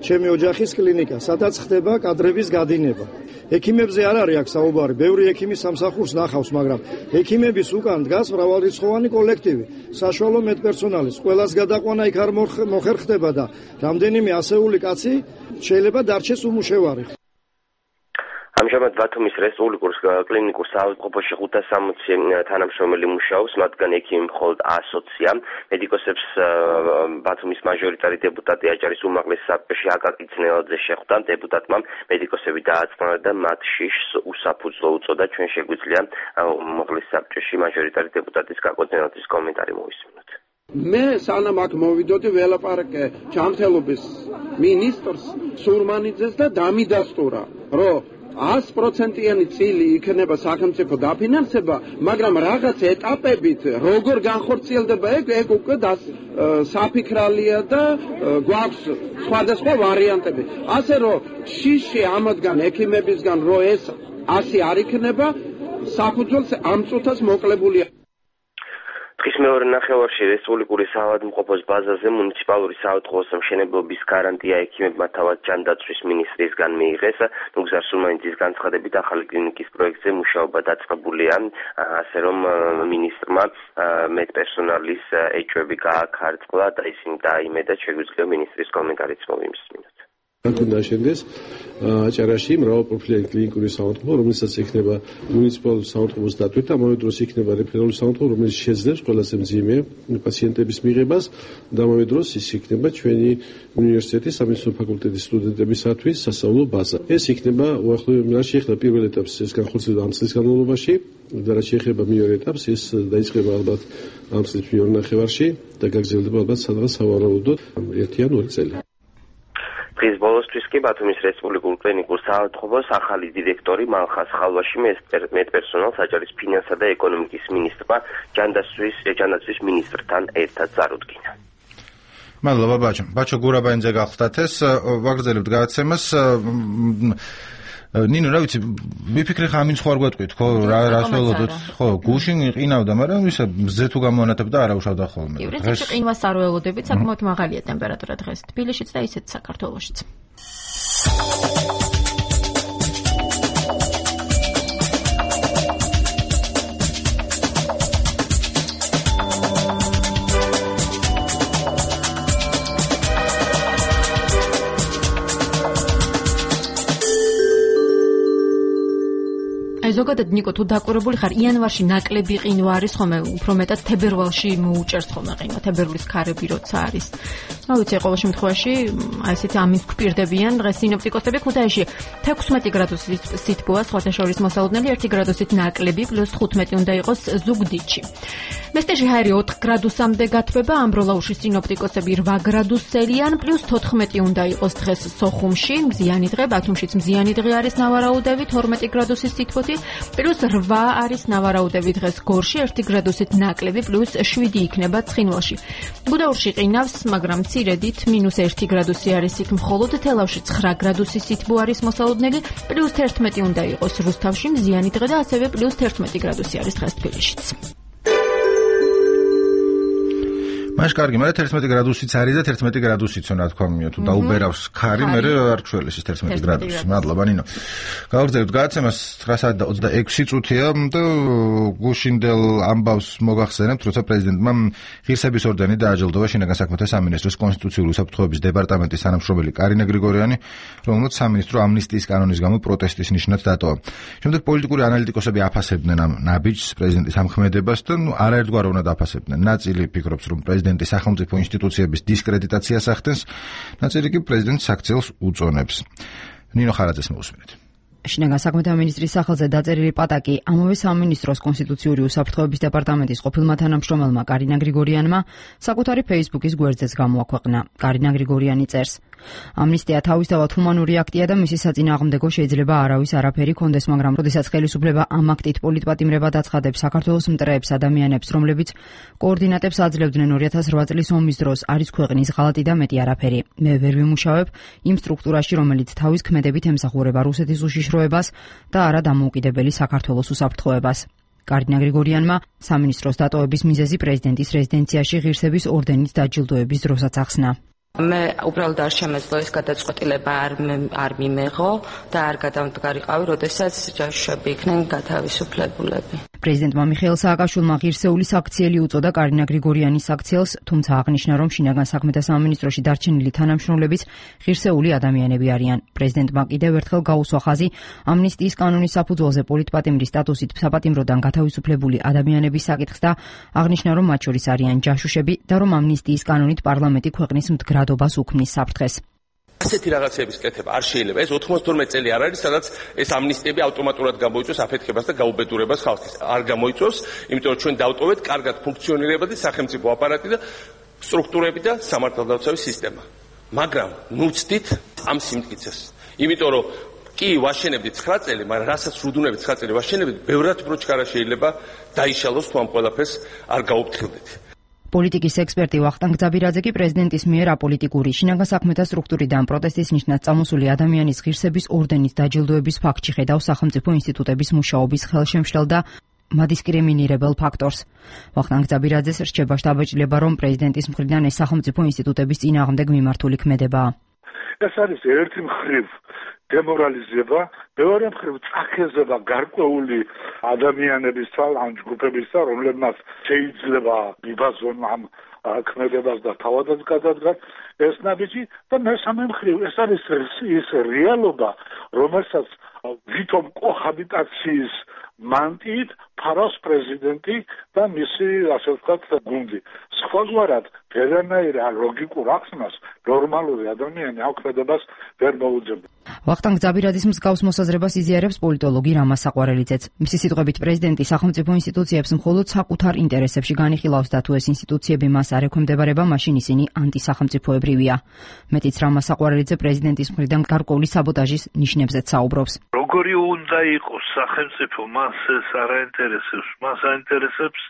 ჩემი ოჯახის კლინიკა, სადაც ხდება კადრების გადინება. ექიმებზე არ არის აქ საუბარი, ბევრი ექიმი სამსახურს ნახავს, მაგრამ ექიმების უკან დგას მრავალრიცხოვანი კოლექტივი, საშუალო მედპერსონალის, ყველას გადაყვანა იქ არ მოხერხდება და რამდენიმე ასეული კაცი შეიძლება დარჩეს უმუშევარი. ამჟამად ბათუმის რესპუბლიკურ კლინიკურ საავადმყოფოში ხუთას სამოცი თანამშრომელი მუშაობს, მათგან ექიმი მხოლოდ ასოცია. მედიკოსებს ბათუმის მაჟორიტარი დეპუტატი აჭარის უმაღლეს საბჭოში აკაკი ძნელაძე შეხვდა. დეპუტატმა მედიკოსები დააწმარა და მათ შიშს უსაფუძვლო უწოდა. ჩვენ შეგვიძლია უმაღლეს საბჭოში მაჟორიტარი დეპუტატის აკაკი ძნელაძის კომენტარი მოვისმინოთ. მე სანამ აქ მოვიდოდი ველაპარაკე ჯანმრთელობის მინისტრს სურმანიძეს და დამიდასტურა, რომ ას პროცენტიანი წილი იქნება სახელმწიფო დაფინანსება, მაგრამ რაღაც ეტაპებით როგორ განხორციელდება ეგ ეგ უკვე საფიქრალია და გვაქვს სხვადასხვა ვარიანტები. ასე რომ შიში ამათგან ექიმებისგან რო ეს ასი არ იქნება, საფუძველს ამ წუთას მოკლებულია. დღის მეორე ნახევარში რესპუბლიკური საავადმყოფოს ბაზაზე მუნიციპალური საავადმყოფოს მშენებლობის გარანტია ექიმებმა თავად ჯანდაცვის მინისტრისგან მიიღეს. ნუგზარ სურმანიძის განცხადებით ახალი კლინიკის პროექტზე მუშაობა დაწყებულია, ასე რომ მინისტრმა მედპერსონალის ეჭვები გააქარწყლა და ისინი დაიმედა. შეგვიძლია მინისტრის კომენტარიც მოვიმსმინოთ. უნდა შენდეს აჭარაში მრავალპროფილიანი კლინიკური საავადმყოფო, რომელსაც იქნება მუნიციპალური საავადმყოფოს დატვირთვა, ამავე დროს იქნება რეფერალური საავადმყოფო, რომელიც შეძლებს ყველაზე მძიმე პაციენტების მიღებას და ამავე დროს ის იქნება ჩვენი უნივერსიტეტის სამედიცინო ფაკულტეტის სტუდენტებისათვის სასწავლო ბაზა. ეს იქნება უახლოესი რა შეეხება პირველ ეტაპს, ეს განხორციელდება ამ წლის განმავლობაში და რა შეეხება მეორე ეტაპს, ეს დაიწყება ალბათ ამ წლის მეორე ნახევარში და გაგრძელდება ალბათ სადღაც სავარაუდოდ ერთი ან ორი წელი. დღის ბოლოსთვის კი ბათუმის რესპუბლიკურ კლინიკურ საავადმყოფოს ახალი დირექტორი მალხას ხალვაში მედპერსონალს აჭარის ფინანსა და ეკონომიკის მინისტრმა ჯანდაცვის ჯანდაცვის მინისტრთან ერთად წარუდგინა. მადლობა ბაჩო. ბაჩო გურაბაინძე გახლდათ ეს ვაგრძელებთ გადაცემას. ნინო, რა ვიცი, მიფიქრე ხა ამინც ხوار გვეტყვით, ხო, რა რას ველოდოთ, ხო, გუშინ ყინავდა, მაგრამ ისა მზე თუ გამოანათებდა არა უშავდა ხოლმე. დღეს ყინვას არ ველოდებით, საკმაოდ მაღალია ტემპერატურა დღეს თბილისშიც და ისეთ საქართველოშიც. ზოგადად ნიკო თუ დაკვირვებული ხარ იანვარში ნაკლები ყინვა არის ხოლმე უფრო მეტად თებერვალში მოუჭერს ხოლმე ყინვა თებერვლის ქარები როცა არის რა ვიცი ყოველ შემთხვევაში აი ესეთი ამის გვპირდებიან დღეს სინოპტიკოსები ქუთაისში თექვსმეტი გრადუსის სითბოა სხვათაშორის მოსალოდნელი ერთი გრადუსით ნაკლები პლუს თხუთმეტი უნდა იყოს ზუგდიდში მესტეში ჰაერი ოთხ გრადუსამდე გათბება ამბროლაუში სინოპტიკოსები რვა გრადუსელიან პლუს თოთხმეტი უნდა იყოს დღეს სოხუმში მზიანი დღე ბათუმშიც მზიანი დღე არის ნავარაუდევით ორმეტი გრადუსის სითბოთი პლუს რვა არის ნავარაუდები დღეს გორში ერთი გრადუსით ნაკლები პლუს შვიდი იქნება ცხინვალში. გუდაურში ყინავს, მაგრამ მცირედით მინუს ერთი გრადუსი არის იქ მხოლოდ თელავში ცხრა გრადუსი სითბო არის მოსალოდნელი პლუს თერთმეტი უნდა იყოს რუსთავში მზიანი დღე და ასევე პლუს თერთმეტი გრადუსი არის დღეს თბილისშიც. მაშ კარგი, მაგრამ თერთმეტი გრადუსიც არის და თერთმეტი გრადუსიც რა თქმა უნდა, თუ დაუბერავს ხარი, მე არ ჩველის ის თერთმეტი გრადუსი. მადლობა ნინო. გავაგრძელებთ გადაცემას ცხრა საათი და ოცდაექვსი წუთია და გუშინდელ ამბავს მოგახსენებთ, როცა პრეზიდენტმა ღირსების ორდენი დააჯილდოვა შინაგან საქმეთა სამინისტროს კონსტიტუციური უსაფრთხოების დეპარტამენტის თანამშრომელი კარინა გრიგორიანი, რომელმაც სამინისტრო ამნისტიის კანონის გამო პროტესტის ნიშნად დატოვა. შემდეგ პოლიტიკური ანალიტიკოსები აფასებდნენ ამ ნაბიჯს პრეზიდენტის ამქმედებას და ნუ არაერთგვაროვნად აფასებდნენ. ნაწილი ფიქრობს, რომ პრეზიდენტი სახელმწიფო ინსტიტუციების დისკრედიტაციას ახდენს, ნაწილი კი პრეზიდენტს საქციელს უწონებს. ნინო ხარაძეს მოусმინეთ. შინაგან საქმეთა მინისტრის სახელზე დაწერილი პატაკი ამავე სამინისტროს კონსტიტუციური უსაფრთხოების დეპარტამენტის ყოფილმა თანამშრომელმა კარინა გრიგორიანმა საკუთარი Facebook-ის გვერდზეც გამოაქვეყნა. კარინა გრიგორიანი წერს: ამნისტია თავისთავად ჰუმანური აქტია და მისი საწინააღმდეგო შეიძლება არავის არაფერი კონდეს, მაგრამ როდესაც ხელისუფლება ამ აქტით პოლიტპატიმრება დაცხადებს საქართველოს მტრეებს ადამიანებს, რომლებიც კოორდინატებს აძლევდნენ ორი ათას რვა წლის ომის დროს, არის ქვეყნის ღალატი და მეტი არაფერი. მე ვერ ვიმუშავებ იმ სტრუქტურაში, რომელიც თავის ქმედებით ემსახურება რუსეთის უშიშროებას და არა დამოუკიდებელი საქართველოს უსაფრთხოებას. კარინა გრიგორიანმა სამინისტროს დატოვების მიზეზი პრეზიდენტის რეზიდენციაში ღირსების ორდენით დაჯილდოების დროსაც ახსნა. მე უბრალოდ არ შემეძლო ეს გადაწყვეტილება არ არ მიმეღო და არ გადამდგარიყავი, როდესაც ჯაშუშები იქნენ გათავისუფლებულები. პრეზიდენტმა მიხეილ სააკაშვილმა ღირსეულის აქციელი უწოდა კარინა გრიგორიანის აქციელს, თუმცა აღნიშნა, რომ შინაგან საქმეთა სამინისტროში დარჩენილი თანამშრომლებიც ღირსეული ადამიანები არიან. პრეზიდენტმა კიდევ ერთხელ გაუსვა ხაზი ამნისტიის კანონის საფუძველზე პოლიტპატიმრის სტატუსით საპატიმროდან გათავისუფლებული ადამიანების საკითხს და აღნიშნა, რომ მათ შორის არიან ჯაშუშები და რომ ამნისტიის კანონით პარლამენტი ქვეყნის მდგრადობას უქმნის საფრთხეს. ასეთი რაღაცების კეთება არ შეიძლება. ეს ოთხმოცდაათი წელი არ არის, სადაც ეს ამნისტიები ავტომატურად გამოიწვევს აფეთქებას და გაუბედურებას ხალხის. არ გამოიწვევს, იმიტომ რომ ჩვენ დავტოვეთ კარგად ფუნქციონირებადი სახელმწიფო აპარატი და სტრუქტურები და სამართალდაცვის სისტემა. მაგრამ ნუ ვცდით ამ სიმტკიცეს. იმიტომ რომ კი ვაშენებდით ცხრა წელი, მაგრამ რასაც რუდუნებით ცხრა წელი ვაშენებდით, ბევრად უფრო ჩქარა შეიძლება დაიშალოს თუ ამ ყველაფერს არ გაუფრთხილდით. პოლიტიკის ექსპერტი ვახტანგ ძაბირაძე კი პრეზიდენტის მიერ აპოლიტიკური შინაგან საქმეთა სტრუქტურიდან პროტესტის ნიშნად წამოსული ადამიანის ღირსების ორდენით დაჯილდოების ფაქტში ხედავს სახელმწიფო ინსტიტუტების მუშაობის ხელშემშლელ და მადისკრიმინირებელ ფაქტორს. ვახტანგ ძაბირაძეს რჩება შთაბეჭდილება, რომ პრეზიდენტის მხრიდან ეს სახელმწიფო ინსტიტუტების წინააღმდეგ მიმართული ქმედებაა. ეს არის ერთი მხრივ დემორალიზება, მეორე მხრივ წახეზება გარკვეული ადამიანებისა ან ჯგუფებისა, რომლებმაც შეიძლება მიბაზონ ამ ქმედებას და თავადაც გადადგას ეს ნაბიჯი და მესამე მხრივ ეს არის ის რეალობა, რომელსაც ვითომ კოჰაბიტაციის მანტიით ფარავს პრეზიდენტი და მისი ასე ვთქვათ გუნდი. სხვაგვარად ვერანაირ ლოგიკურ ახსნას ნორმალური ადამიანი აუქმედებას ვერ მოუძებდა. ვახტანგ ძაბირაძის მსგავს მოსაზრებას იზიარებს პოლიტოლოგი რამა საყვარელიძეც. მისი სიტყვებით პრეზიდენტი სახელმწიფო ინსტიტუციებს მხოლოდ საკუთარ ინტერესებში განიხილავს და თუ ეს ინსტიტუციები მას არ ექვემდებარება, მაშინ ისინი ანტისახელმწიფოებრივია. მეტიც რამა საყვარელიძე პრეზიდენტის მხრიდან გარკვეული საბოტაჟის ნიშნებზეც საუბრობს. როგორი უნდა იყოს სახელმწიფო, მას ეს არ აინტერესებს, მას აინტერესებს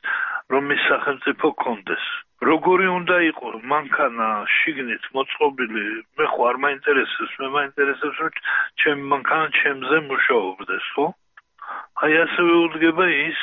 რომ ის სახელმწიფო კონდეს. როგორი უნდა იყოს მანქანა შიგნით მოწყობილი, მე ხო არ მაინტერესებს, მე მაინტერესებს რომ ჩემი მანქანა ჩემზე მუშაობდეს, ხო? აი ასევე უდგება ის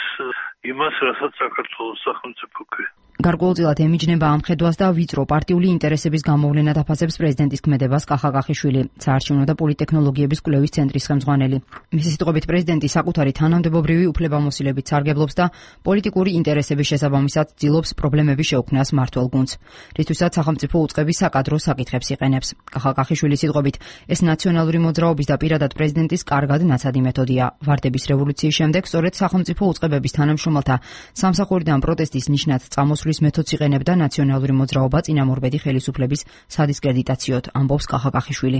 იმას, რასაც საქართველოს სახელმწიფო ქვია. გარკვეულწილად ემიჯნება ამ ხედვას და ვიწრო პარტიული ინტერესების გამოვლენად აფასებს პრეზიდენტის ქმედებას კახა კახიშვილი, საარჩევნო და პოლიტექნოლოგიების კვლევის ცენტრის ხელმძღვანელი. მისი სიტყვებით პრეზიდენტი საკუთარი თანამდებობრივი უფლებამოსილებით სარგებლობს და პოლიტიკური ინტერესების შესაბამისად ცდილობს პრობლემების შეუქმნას მმართველ გუნდს, რისთვისაც სახელმწიფო უწყების საკადრო საკითხებს იყენებს. კახა კახიშვილის სიტყვებით ეს ნაციონალური მოძრაობის და პირადად პრეზიდენტის კარგად ნაცადი მეთოდია. ვარდების რევოლუციის შემდეგ სწორედ სახელმწიფო უწყებების თანამშრომელთა სამსახურიდან პროტესტის ნიშნად წამოსვლის მეთოდს იყენებდა ნაციონალური მოძრაობა წინამორბედი ხელისუფლების სადისკრედიტაციოდ, ამბობს კახა კახიშვილი.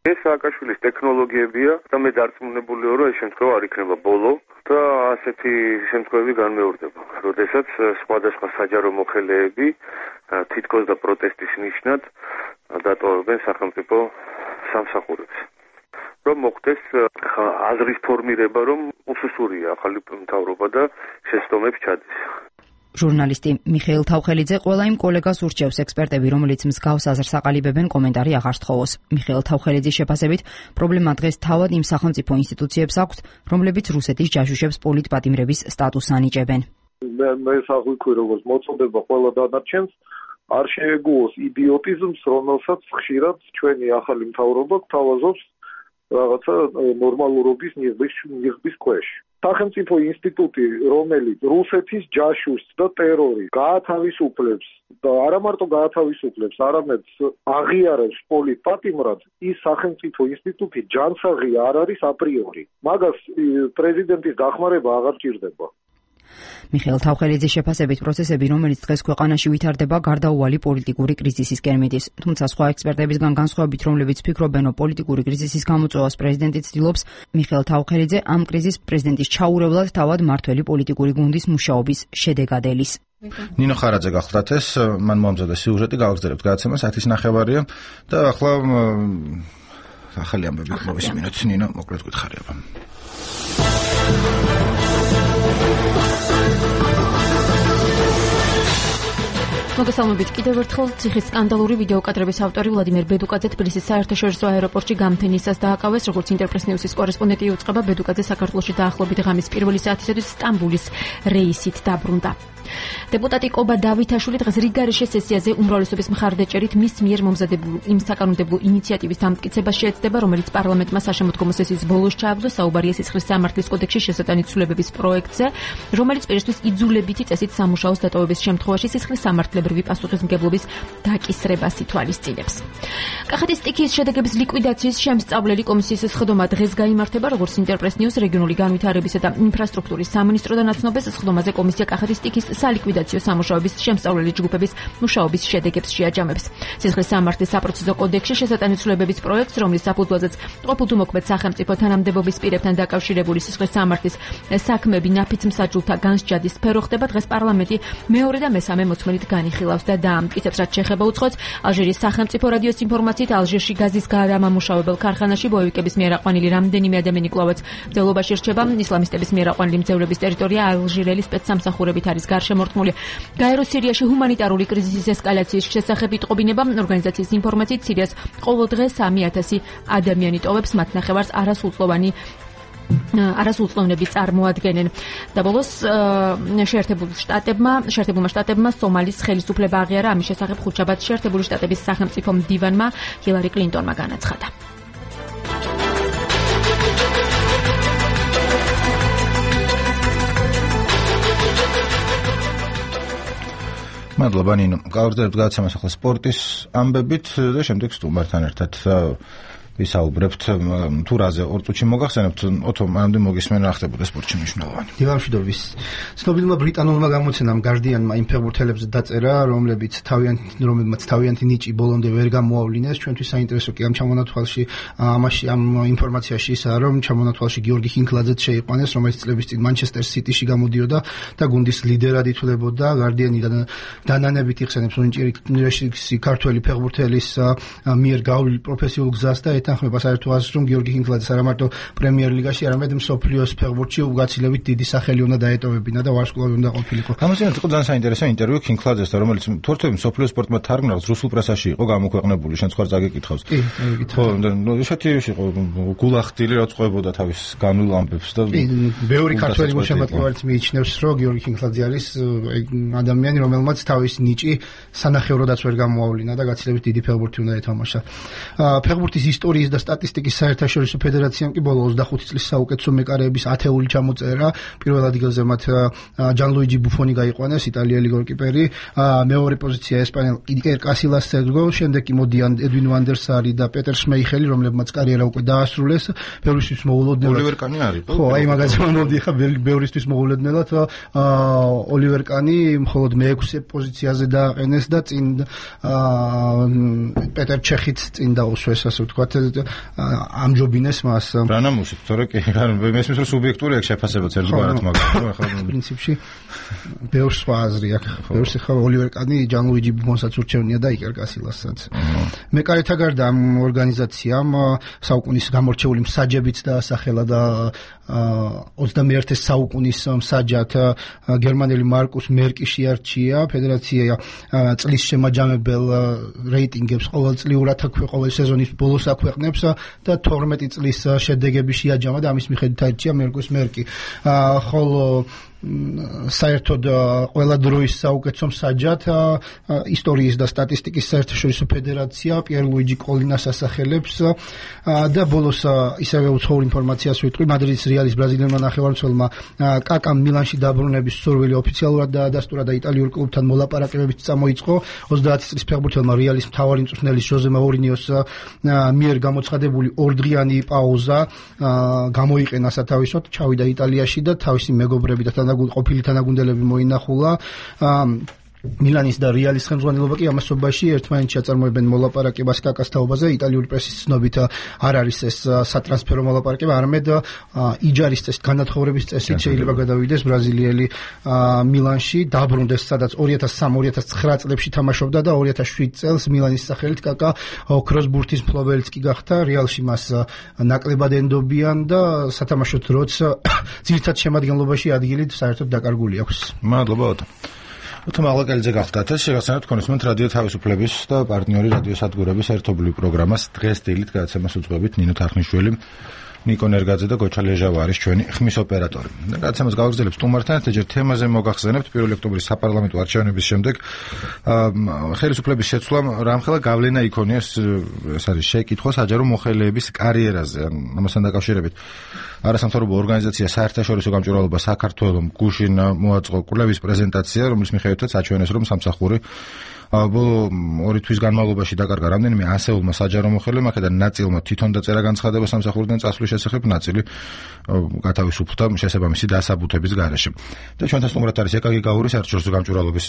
ეს სააკაშვილის ტექნოლოგიებია და მე დარწმუნებული ვარ, რომ ეს შემთხვევა არ იქნება ბოლო და ასეთი შემთხვევები განმეორდება. როდესაც სხვადასხვა საჯარო მოხელეები თითქოს და პროტესტის ნიშნად დატოვებენ სახელმწიფო სამსახურებს. რომ მოხდეს აზრის ფორმირება, რომ უსუსურია ახალი მთავრობა და შეცდომებს ჩადის. ჟურნალისტი მიხეილ თავხელიძე ყველა იმ კოლეგას ურჩევს ექსპერტები, რომელიც მსგავს აზრს აყალიბებენ, კომენტარი აღარ სთხოვოს. მიხეილ თავხელიძის შეფასებით, პრობლემა დღეს თავად იმ სახელმწიფო ინსტიტუციებს აქვს, რომლებიც რუსეთის ჯაშუშებს პოლიტპატიმრების სტატუსს ანიჭებენ. მე მე საღვიქვი როგორც მოწოდება ყველა დანარჩენს არ შეეგუოს იდიოტიზმს, რომელსაც ხშირად ჩვენი ახალი მთავრობა გთავაზობს რაღაცა ნორმალურობის ნიღბის ქვეშ. სახელმწიფო ინსტიტუტი, რომელიც რუსეთის ჯაშუშს და ტერორი გაათავისუფლებს და არა მარტო გაათავისუფლებს, არამედ აღიარებს პოლიტპატიმრად, ის სახელმწიფო ინსტიტუტი ჯანსაღი არ არის აპრიორი. მაგას პრეზიდენტის დახმარება აღარ ჭირდება. მიხეილ თავხელიძის შეფასებით პროცესები, რომელიც დღეს ქვეყანაში ვითარდება, გარდაუვალი პოლიტიკური კრიზისისკენ მიდის. თუმცა სხვა ექსპერტებისგან განსხვავებით, რომლებიც ფიქრობენ, რომ პოლიტიკური კრიზისის გამოწვევას პრეზიდენტი ცდილობს, მიხეილ თავხელიძე ამ კრიზისს პრეზიდენტის ჩაურევლად თავად მმართველი პოლიტიკური გუნდის მუშაობის შედეგად ელის. ნინო ხარაძე გახლდათ ეს, მან მომზადა სიუჟეტი, გავაგზავნებთ გადაცემა საათის ნახევარია და ახლა ახალი ამბები მოვისმინოთ. ნინო, მოკლედ გითხარიება. მოგესალმებით კიდევ ერთხელ ციხის სკანდალური ვიდეოკადრების ავტორი ვლადიმერ ბედუკაძე თბილისის საერთაშორისო აეროპორტში გამთენისას დააკავეს, როგორც ინტერპრეს ნიუსის კორესპონდენტი იუწყება, ბედუკაძე საქართველოში დაახლოებით ღამის პირველი საათისათვის სტამბულის რეისით დაბრუნდა. დეპუტატი კობა დავითაშვილი დღეს რიგარეშე სესიაზე უმრავლესობის მხარდაჭერით მის მიერ მომზადებულ იმ საკანონმდებლო ინიციატივის დამტკიცებას შეეცდება, რომელიც პარლამენტმა საშემოდგომო სესიის ბოლოს ჩააგდო. საუბარია სისხლის სამართლის კოდექსში შესატანი ცვლილებების პროექტზე, რომელიც პირისთვის იძულებითი წესით სამუშაოს დატოვების შემთხვევაში სისხლის სამართლებრივი პასუხისმგებლობის დაკისრებას ითვალისწინებს. კახეთის სტიქიის შედეგების ლიკვიდაციის შემსწავლელი კომისიის სხდომა დღეს გაიმართება, როგორც ინტერპრეს ნიუს რეგიონული განვითარებისა და ინფრასტრუქტურის სამინისტროდან აცნობს. სხდომაზე კომისია კახეთის სტიქიის სალიკვიდაციო სამუშაოების შემსწავლელი ჯგუფების მუშაობის შედეგებს შეაჯამებს. სისხლის სამართლის საპროცესო კოდექსში შესატანი ცვლილებების პროექტს, რომლის საფუძველზეც ყოფილთუმოქმედ სახელმწიფო თანამდებობის პირებთან დაკავშირებული სისხლის სამართლის საქმეები ნაფიც მსაჯულთა განსჯადის სფერო ხდება, დღეს პარლამენტი მეორე და მესამე მოწმენით განიხილავს და დაამტკიცებს, რაც შეეხება უცხოეთს. ალჟირის სახელმწიფო რადიოს ინფორმაციით, ალჟირში გაზის გადამამუშავებელ ქარხანაში ბოევიკების მიერ აყვანილი რამდენიმე ადამიანი კვლავაც მძევლობაში რჩება. ისლამისტების მიერ აყვანილი მძევლების ტერიტორია ალჟირელი სპეცსამსახურებით არის გარშემორტყმული. გაერო სირიაში ჰუმანიტარული კრიზისის ესკალაციის შესახებ იტყობინება. ორგანიზაციის ინფორმაციით, სირიას ყოველ დღე სამი ათასი ადამიანი ტოვებს, მათ ნახევარს არასრულწლოვანი არასრულწლოვნები წარმოადგენენ. და ბოლოს შეერთებულ შტატებმა შეერთებულმა შტატებმა სომალის ხელისუფლება აღიარა. ამის შესახებ ხუთშაბათს შეერთებული შტატების სახელმწიფო მდივანმა ჰილარი კლინტონმა განაცხადა. მადლობა ნინო. გავაგრძელებთ გადაცემას ახლა სპორტის ამბებით და შემდეგ სტუმართან ერთად ვისაუბრებთ თუ რაზე ორ წუთში მოგახსენებთ ოთო მანამდე მოგისმენ რა ხდებოდა სპორტში მნიშვნელოვანი. დილამშვიდობის. ცნობილმა ბრიტანულმა გამოცემამ Guardian-მა იმ ფეხბურთელებს დაწერა, რომლებიც თავიანთი რომლებმაც თავიანთი ნიჭი ბოლომდე ვერ გამოავლინეს. ჩვენთვის საინტერესო კი ამ ჩამონათვალში ამაში ამ ინფორმაციაში ისაა, რომ ჩამონათვალში გიორგი ხინკლაძეც შეიყვანეს, რომელიც წლების წინ Manchester City-ში გამოდიოდა და გუნდის ლიდერად ითვლებოდა. Guardian-იდან დანანებით იხსენებს უნიჭიერი ქართველი ფეხბურთელის მიერ გავლილი პროფესიულ გზას და ეთანხმება საერთო აზრს, რომ გიორგი ხინკლაძე არა მარტო პრემიერ ლიგაში, არამედ მსოფლიოს ფეხბურთში უგაცილებით დიდი სახელი უნდა დაეტოვებინა და ვარსკვლავი უნდა ყოფილიყო. ამაზე იყო ძალიან საინტერესო ინტერვიუ ხინკლაძესთან, რომელიც თორთვე მსოფლიოს სპორტმა თარგმნას რუსულ პრესაში იყო გამოქვეყნებული, შენ სხვა წაგეკითხავს. კი, ხო, და ისეთი იყო გულახდილი, რაც ყვებოდა თავის განულ ამბებს და ბევრი ქართველი მოსამართლეებიც მიიჩნევს, რომ გიორგი ხინკლაძე არის ადამიანი, რომელმაც თავის ნიჭი სანახევროდაც ვერ გამოავლინა და გაცილებით დიდი ფეხბურთი უნდა ეთამაშა. ფეხბურთის ისტორია და სტატისტიკის საერთაშორისო ფედერაციამ კი ბოლო ოცდახუთი წლის საუკეთესო მეკარეების ათეული ჩამოწერა. პირველ ადგილზე მათ ჯანლუიჯი ბუფონი გაიყვანეს, იტალიელი გოლკიპერი, მეორე პოზიცია ესპანელ იკერ კასილას სერგო, შემდეგ კი მოდიან ედვინ ვანდერსარი და პეტერ შმეიხელი, რომლებმაც კარიერა უკვე დაასრულეს. ბევრისთვის მოულოდნელად ოლივერ კანი არის. ხო, აი მაგაზე მომდი ხა ბევრისთვის მოულოდნელად ოლივერ კანი მხოლოდ მეექვსე პოზიციაზე დააყენეს და წინ პეტერ ჩეხიც წინ დაუსვეს, ასე ვთქვათ. ამჯობინეს მას. რა ნამუსით, თორე კი, მესმის რომ სუბიექტური აქვს შეფასებაც ერთგვარად, მაგრამ ხო, პრინციპში ბევრ სხვა აზრი აქვს. ბევრს ხა ოლივერ კანი ჯანლუიჯი ბუფონსაც ურჩევნია და იკერ კასილასაც. მეკარეთა გარდა ამ ორგანიზაციამ საუკუნის გამორჩეული მსაჯებიც დაასახელა და ოცდამეერთე საუკუნის მსაჯად გერმანელი მარკუს მერკი შეარჩია. ფედერაცია წლის შემაჯამებელ რეიტინგებს ყოველწლიურად ყოველ სეზონის ბოლოს აქვეყნებს და თორმეტი წლის შედეგები შეაჯამა და ამის მიხედვით აირჩია მარკუს მერკი. ხოლო საერთოდ ყველა დროის საუკეთესო მსაჯად ისტორიის და სტატისტიკის საერთაშორისო ფედერაცია პიერ ლუიჯი კოლინას ასახელებს და ბოლოს ისევე უცხოურ ინფორმაციას ვიტყვი. მადრიდის რეალის ბრაზილიელმა ნახევარმცველმა კაკამ მილანში დაბრუნების სურვილი ოფიციალურად დაადასტურა და იტალიურ კლუბთან მოლაპარაკებებით წამოიწყო. ოცდაათი წლის ფეხბურთელმა რეალის მთავარი მწვრთნელის ჟოზე მაურინიოს მიერ გამოცხადებული ორდღიანი პაუზა გამოიყენა სათავისოდ, ჩავიდა იტალიაში და თავისი მეგობრები და ყოფილი თანაგუნდელები მოინახულა. მილანის და რეალის ხელმძღვანელობა კი ამასობაში ერთმანეთში აწარმოებენ მოლაპარაკებას კაკას თაობაზე. იტალიური პრესის ცნობით არ არის ეს სატრანსფერო მოლაპარაკება, არამედ იჯარის წესით, განათხოვრების წესით შეიძლება გადავიდეს ბრაზილიელი მილანში, დაბრუნდეს სადაც ორი ათას სამი ორი ათას ცხრა წლებში თამაშობდა და ორი ათას შვიდ წელს მილანის სახელით კაკა ოქროს ბურთის მფლობელიც კი გახდა. რეალში მას ნაკლებად ენდობიან და სათამაშო დროც ძირითად შემადგენლობაში ადგილი საერთოდ დაკარგული აქვს. მადლობა ოტო. უთო მაღლაკელიძე გახდათ ეს შეგახსენებთ კონსუმენტ რადიო თავისუფლების და პარტნიორი რადიო სადგურების ერთობლივ პროგრამას დღეს დილით გადაცემას უძღვებით ნინო თარხნიშვილი, ნიკო ნერგაძე და გოჩა ლეჟავა არის ჩვენი ხმის ოპერატორი. და გადაცემას გავაგრძელებთ სტუმართან ერთ ჯერ თემაზე მოგახსენებთ პირველი ოქტომბრის საპარლამენტო არჩევნების შემდეგ ხელისუფლების შეცვლამ რამხელა გავლენა იქონია ეს არის შეკითხვა საჯარო მოხელეების კარიერაზე. ამასთან დაკავშირებით არასამთავრობო ორგანიზაცია საერთაშორისო გამჭვირვალობა საქართველოს გუშინ მოაწყო კვლევის პრეზენტაცია, რომლის მიხედვითაც აჩვენეს, რომ სამსახური ბოლო ორი თვის განმავლობაში დაკარგა რამდენიმე ასეულმა საჯარო მოხელემ, აქედან ნაწილმა თვითონ დაწერა განცხადება სამსახურიდან წასვლის შესახებ, ნაწილი გათავისუფლდა შესაბამისი დასაბუთების გარეშე. და ჩვენთან სტუმრად არის ეკაგი გაურის საერთაშორისო გამჭვირვალობის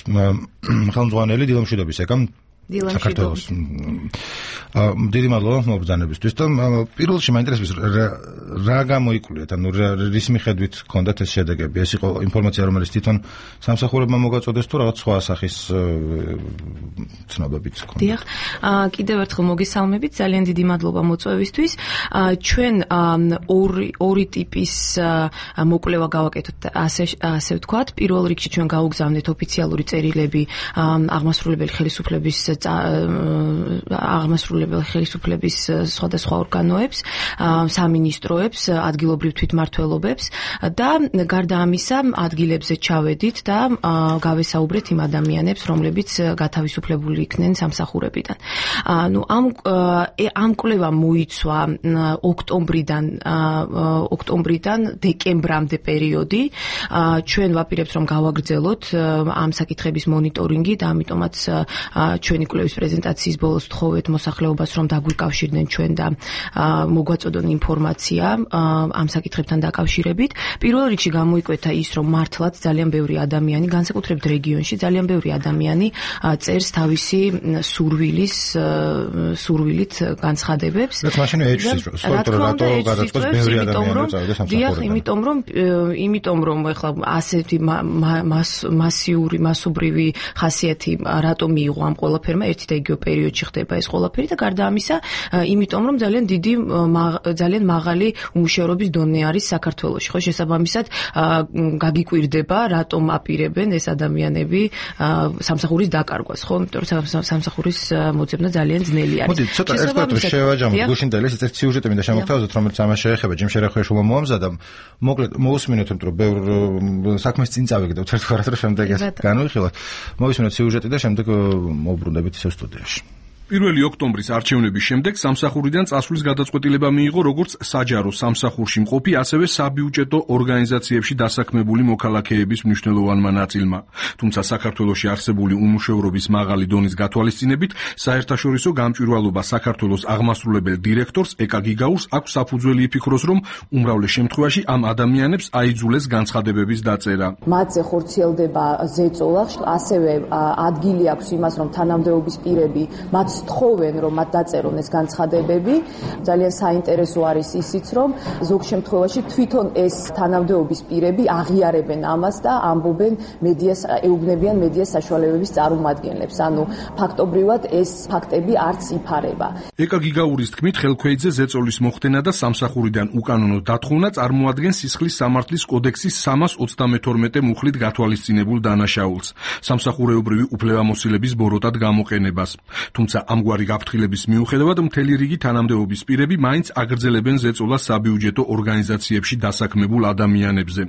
ხელმძღვანელი დილამშვიდობის ეკამ საქართველოს. დიდი მადლობა მობრძანებისთვის და პირველში მაინტერესებს რა გამოიკვლიათ, ანუ რის მიხედვით ჰქონდათ ეს შედეგები? ეს იყო ინფორმაცია, რომელიც თვითონ სამსახურებმა მოგაწოდეს თუ რაღაც სხვა სახის ცნობებით ჰქონდათ? დიახ, კიდევ ერთხელ მოგესალმებით, ძალიან დიდი მადლობა მოწვევისთვის. ჩვენ ორი ორი ტიპის მოკვლევა გავაკეთოთ, ასე ასე ვთქვათ. პირველ რიგში ჩვენ გავუგზავნეთ ოფიციალური წერილები აღმასრულებელი ხელისუფლების აღმასრულებელი ხელისუფლების სხვადასხვა ორგანოებს, სამინისტროებს, ადგილობრივ თვითმმართველობებს და გარდა ამისა ადგილებზე ჩავედით და გავესაუბრეთ იმ ადამიანებს, რომლებიც გათავისუფლებული იქნენ სამსახურებიდან. ანუ ამ ამ კვლევამ მოიცვა ოქტომბრიდან ოქტომბრიდან დეკემბრამდე პერიოდი. ჩვენ ვაპირებთ რომ გავაგრძელოთ ამ საკითხების მონიტორინგი და ამიტომაც ჩვენი კვლევის პრეზენტაციის ბოლოს თხოვეთ მოსახლეობას რომ დაგვიკავშირდნენ ჩვენ და მოგვაწოდონ ინფორმაცია ამ საკითხებთან დაკავშირებით. პირველ რიგში გამოიკვეთა ის რომ მართლაც ძალიან ბევრი ადამიანი, განსაკუთრებით რეგიონში, ძალიან ბევრი ადამიანი წერს თავისი სურვილის სურვილით განცხადებებს. რაც მაშინ ეჭვს სპორტო რატო გადაწყვეტს ბევრი ადამიანი წავიდეს სამსახურიდან. იმიტომ რომ იმიტომ რომ ეხლა ასეთი მასიური მასობრივი ხასიათი რატო მიიღო ამ ყველაფერმა ერთი და იგივე პერიოდში ხდება ეს ყველაფერი და გარდა ამისა იმიტომ რომ ძალიან დიდი ძალიან მაღალი უმუშევრობის დონე არის საქართველოში. ხო შესაბამისად გაგიკვირდება რატომ აპირებენ ეს ადამიანები სამსახურის დაკარგვას. ხო იმიტომ რომ სამსახურის მოძებნა ძალიან ძნელი არის. მოდი ცოტა ერთგვარად შევაჯამოთ გუშინდელი ეს სიუჟეტი მინდა შემოგთავაზოთ რომელიც ამას შეეხება ჯიმ შერეხვეშვილმა მოამზადა. მოკლედ მოусმინოთ რომ ბევრ საქმეს წინ წავიგდოთ ერთგვარად რომ შემდეგ ეს განვიხილოთ. მოვისმინოთ სიუჟეტი და შემდეგ მოვბრუნდებით ისევ სტუდიაში. პირველი ოქტომბრის არჩევნების შემდეგ სამსახურიდან წასვლის გადაწყვეტილება მიიღო როგორც საჯარო სამსახურში მყოფი, ასევე საბიუჯეტო ორგანიზაციებში დასაქმებული მოქალაქეების მნიშვნელოვანმა ნაწილმა. თუმცა საქართველოში არსებული უმუშევრობის მაღალი დონის გათვალისწინებით, საერთაშორისო გამჭვირვალობა საქართველოს აღმასრულებელ დირექტორს ეკა გიგაურს აქვს საფუძველი იფიქროს, რომ უმრავლეს შემთხვევაში ამ ადამიანებს აიძულეს განცხადებების დაწერა. მათზე ხორციელდება ზეწოლა, ასევე ადგილი აქვს იმას, რომ თანამდებობის პირები მათ თხოვენ რომ მათ დაწერონ ეს განცხადებები. ძალიან საინტერესო არის ისიც რომ ზოგ შემთხვევაში თვითონ ეს თანამდებობის პირები აღიარებენ ამას და ამბობენ მედიას ეუბნებიან მედიას საშუალებების წარმომადგენლებს. ანუ ფაქტობრივად ეს ფაქტები არც იფარება. ეკა გიგაურის თქმით ხელქვეითზე ზეწოლის მოხდენა და სამსახურიდან უკანონო დათხოვნა წარმოადგენს სისხლის სამართლის კოდექსის სამას ოცდამეთორმეტე მუხლით გათვალისწინებულ დანაშაულს, სამსახურეობრივი უფლებამოსილების ბოროტად გამოყენებას. თუმცა ამგვარი გაფრთხილების მიუხედავად მთელი რიგი თანამდებობის პირები მაინც აგრძელებენ ზეწოლას საბიუჯეტო ორგანიზაციებში დასაქმებულ ადამიანებზე.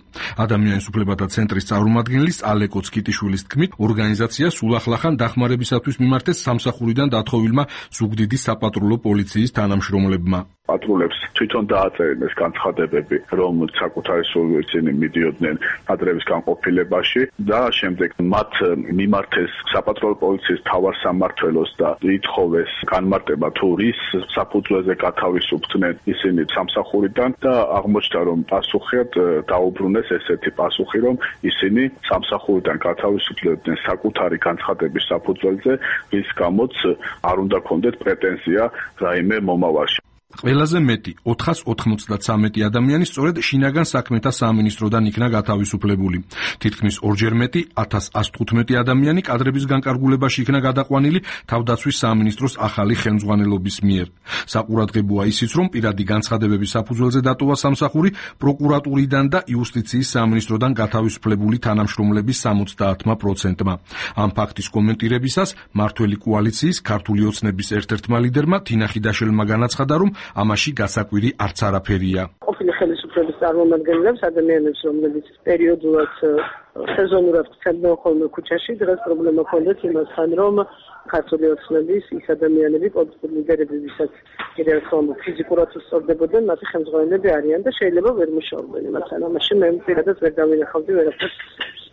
ადამიანის უფლებათა ცენტრის წარმომადგენლის ალეკო ცკიტიშვილის თქმით, ორგანიზაცია სულახლახან დახმარებისათვის მიმართეს სამსახურიდან დათხოვილმა ზუგდიდის საპატრულო პოლიციის თანამშრომლებმა. პატრულებს თვითონ დააწერენ ეს განცხადებები, რომ საკუთარი სურვილით მიდიოდნენ ადრევის განყოფილებაში და შემდეგ მათ მიმართეს საპატრულო პოლიციის მთავარ სამმართველოს და ითხოვეს განმარტება თუ რის საფუძველზე გათავისუფლდნენ ისინი სამსახურიდან და აღმოჩნდა რომ პასუხად დაუბრუნეს ესეთი პასუხი, რომ ისინი სამსახურიდან გათავისუფლებდნენ საკუთარი განცხადების საფუძველზე, რის გამოც არ უნდა ქონდეთ პრეტენზია რაიმე მომავალში. ყველაზე მეტი ოთხას ოთხმოცდაცამეტი ადამიანი სწორედ შინაგან საქმეთა სამინისტროდან იქნა გათავისუფლებული. თითქმის ორჯერ მეტი ათას ას თხუთმეტი ადამიანი კადრების განკარგულებაში იქნა გადაყვანილი თავდაცვის სამინისტროს ახალი ხელმძღვანელობის მიერ. საყურადღებოა ისიც, რომ პირადი განცხადებების საფუძველზე დატოვა სამსახური პროკურატურიდან და იუსტიციის სამინისტროდან გათავისუფლებული თანამშრომლების სამოცდაათმა პროცენტმა. ამ ფაქტის კომენტირებისას მართველი კოალიციის ქართული ოცნების ერთ-ერთმა ლიდერმა თინა ხიდაშელმა განაცხადა, რომ ამაში გასაკვირი არც არაფერია. ყოფილი ხელისუფლების წარმომადგენლებს, ადამიანებს, რომლებიც პერიოდულად სეზონურად ხდებიან ხოლმე ქუჩაში, დღეს პრობლემა ჰქონდათ იმასთან, რომ ქართული ოცნების ის ადამიანები, პოლიტიკური ლიდერები, ვისაც კიდევ ერთხელ ფიზიკურად უსწორდებოდნენ, მათი ხელმძღვანელები არიან და შეიძლება ვერ მუშაობენ იმასთან. ამაში მე პირადად ვერ დავინახავდი ვერაფერს.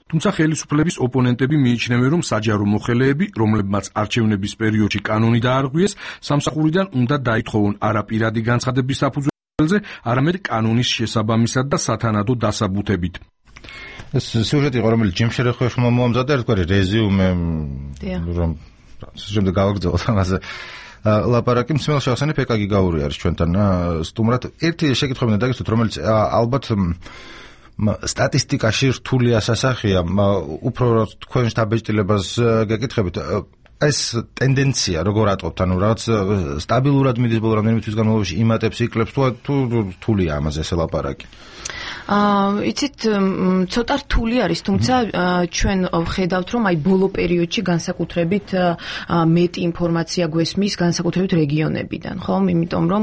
თუმცა ხელისუფლების ოპონენტები მიიჩნევენ, რომ საჯარო მოხელეები, რომლებმაც არჩევნების პერიოდში კანონი დაარღვიეს, სამსახურიდან უნდა დაითხოვონ არა პირადი განცხადების საფუძველზე, არამედ კანონის შესაბამისად და სათანადო დასაბუთებით. ეს სიუჟეტი იყო, რომელიც ჯიმ შერეხვეშვილმა მოამზადა ერთგვარი რეზიუმე, რომ შემდეგ გავაგრძელოთ ამაზე. ლაპარაკი მსმელ შევახსენებ ეკა გიგაური არის ჩვენთან სტუმრად. ერთი შეკითხვა მინდა დაგისვათ, რომელიც ალბათ სტატისტიკაში რთული ასასახია, უფრო თქვენ დაბეჭდილებას გეკითხებით. ეს ტენდენცია როგორ ატყობთ, ანუ რაღაც სტაბილურად მიდის ბოლო რამდენიმე თვის განმავლობაში იმატებს, იკლებს თუ თუ რთულია ამაზე ეს ლაპარაკი? აა იცით ცოტა რთული არის, თუმცა ჩვენ ვხედავთ, რომ აი ბოლო პერიოდში განსაკუთრებით მეტი ინფორმაცია გვესმის განსაკუთრებით რეგიონებიდან, ხო? იმიტომ რომ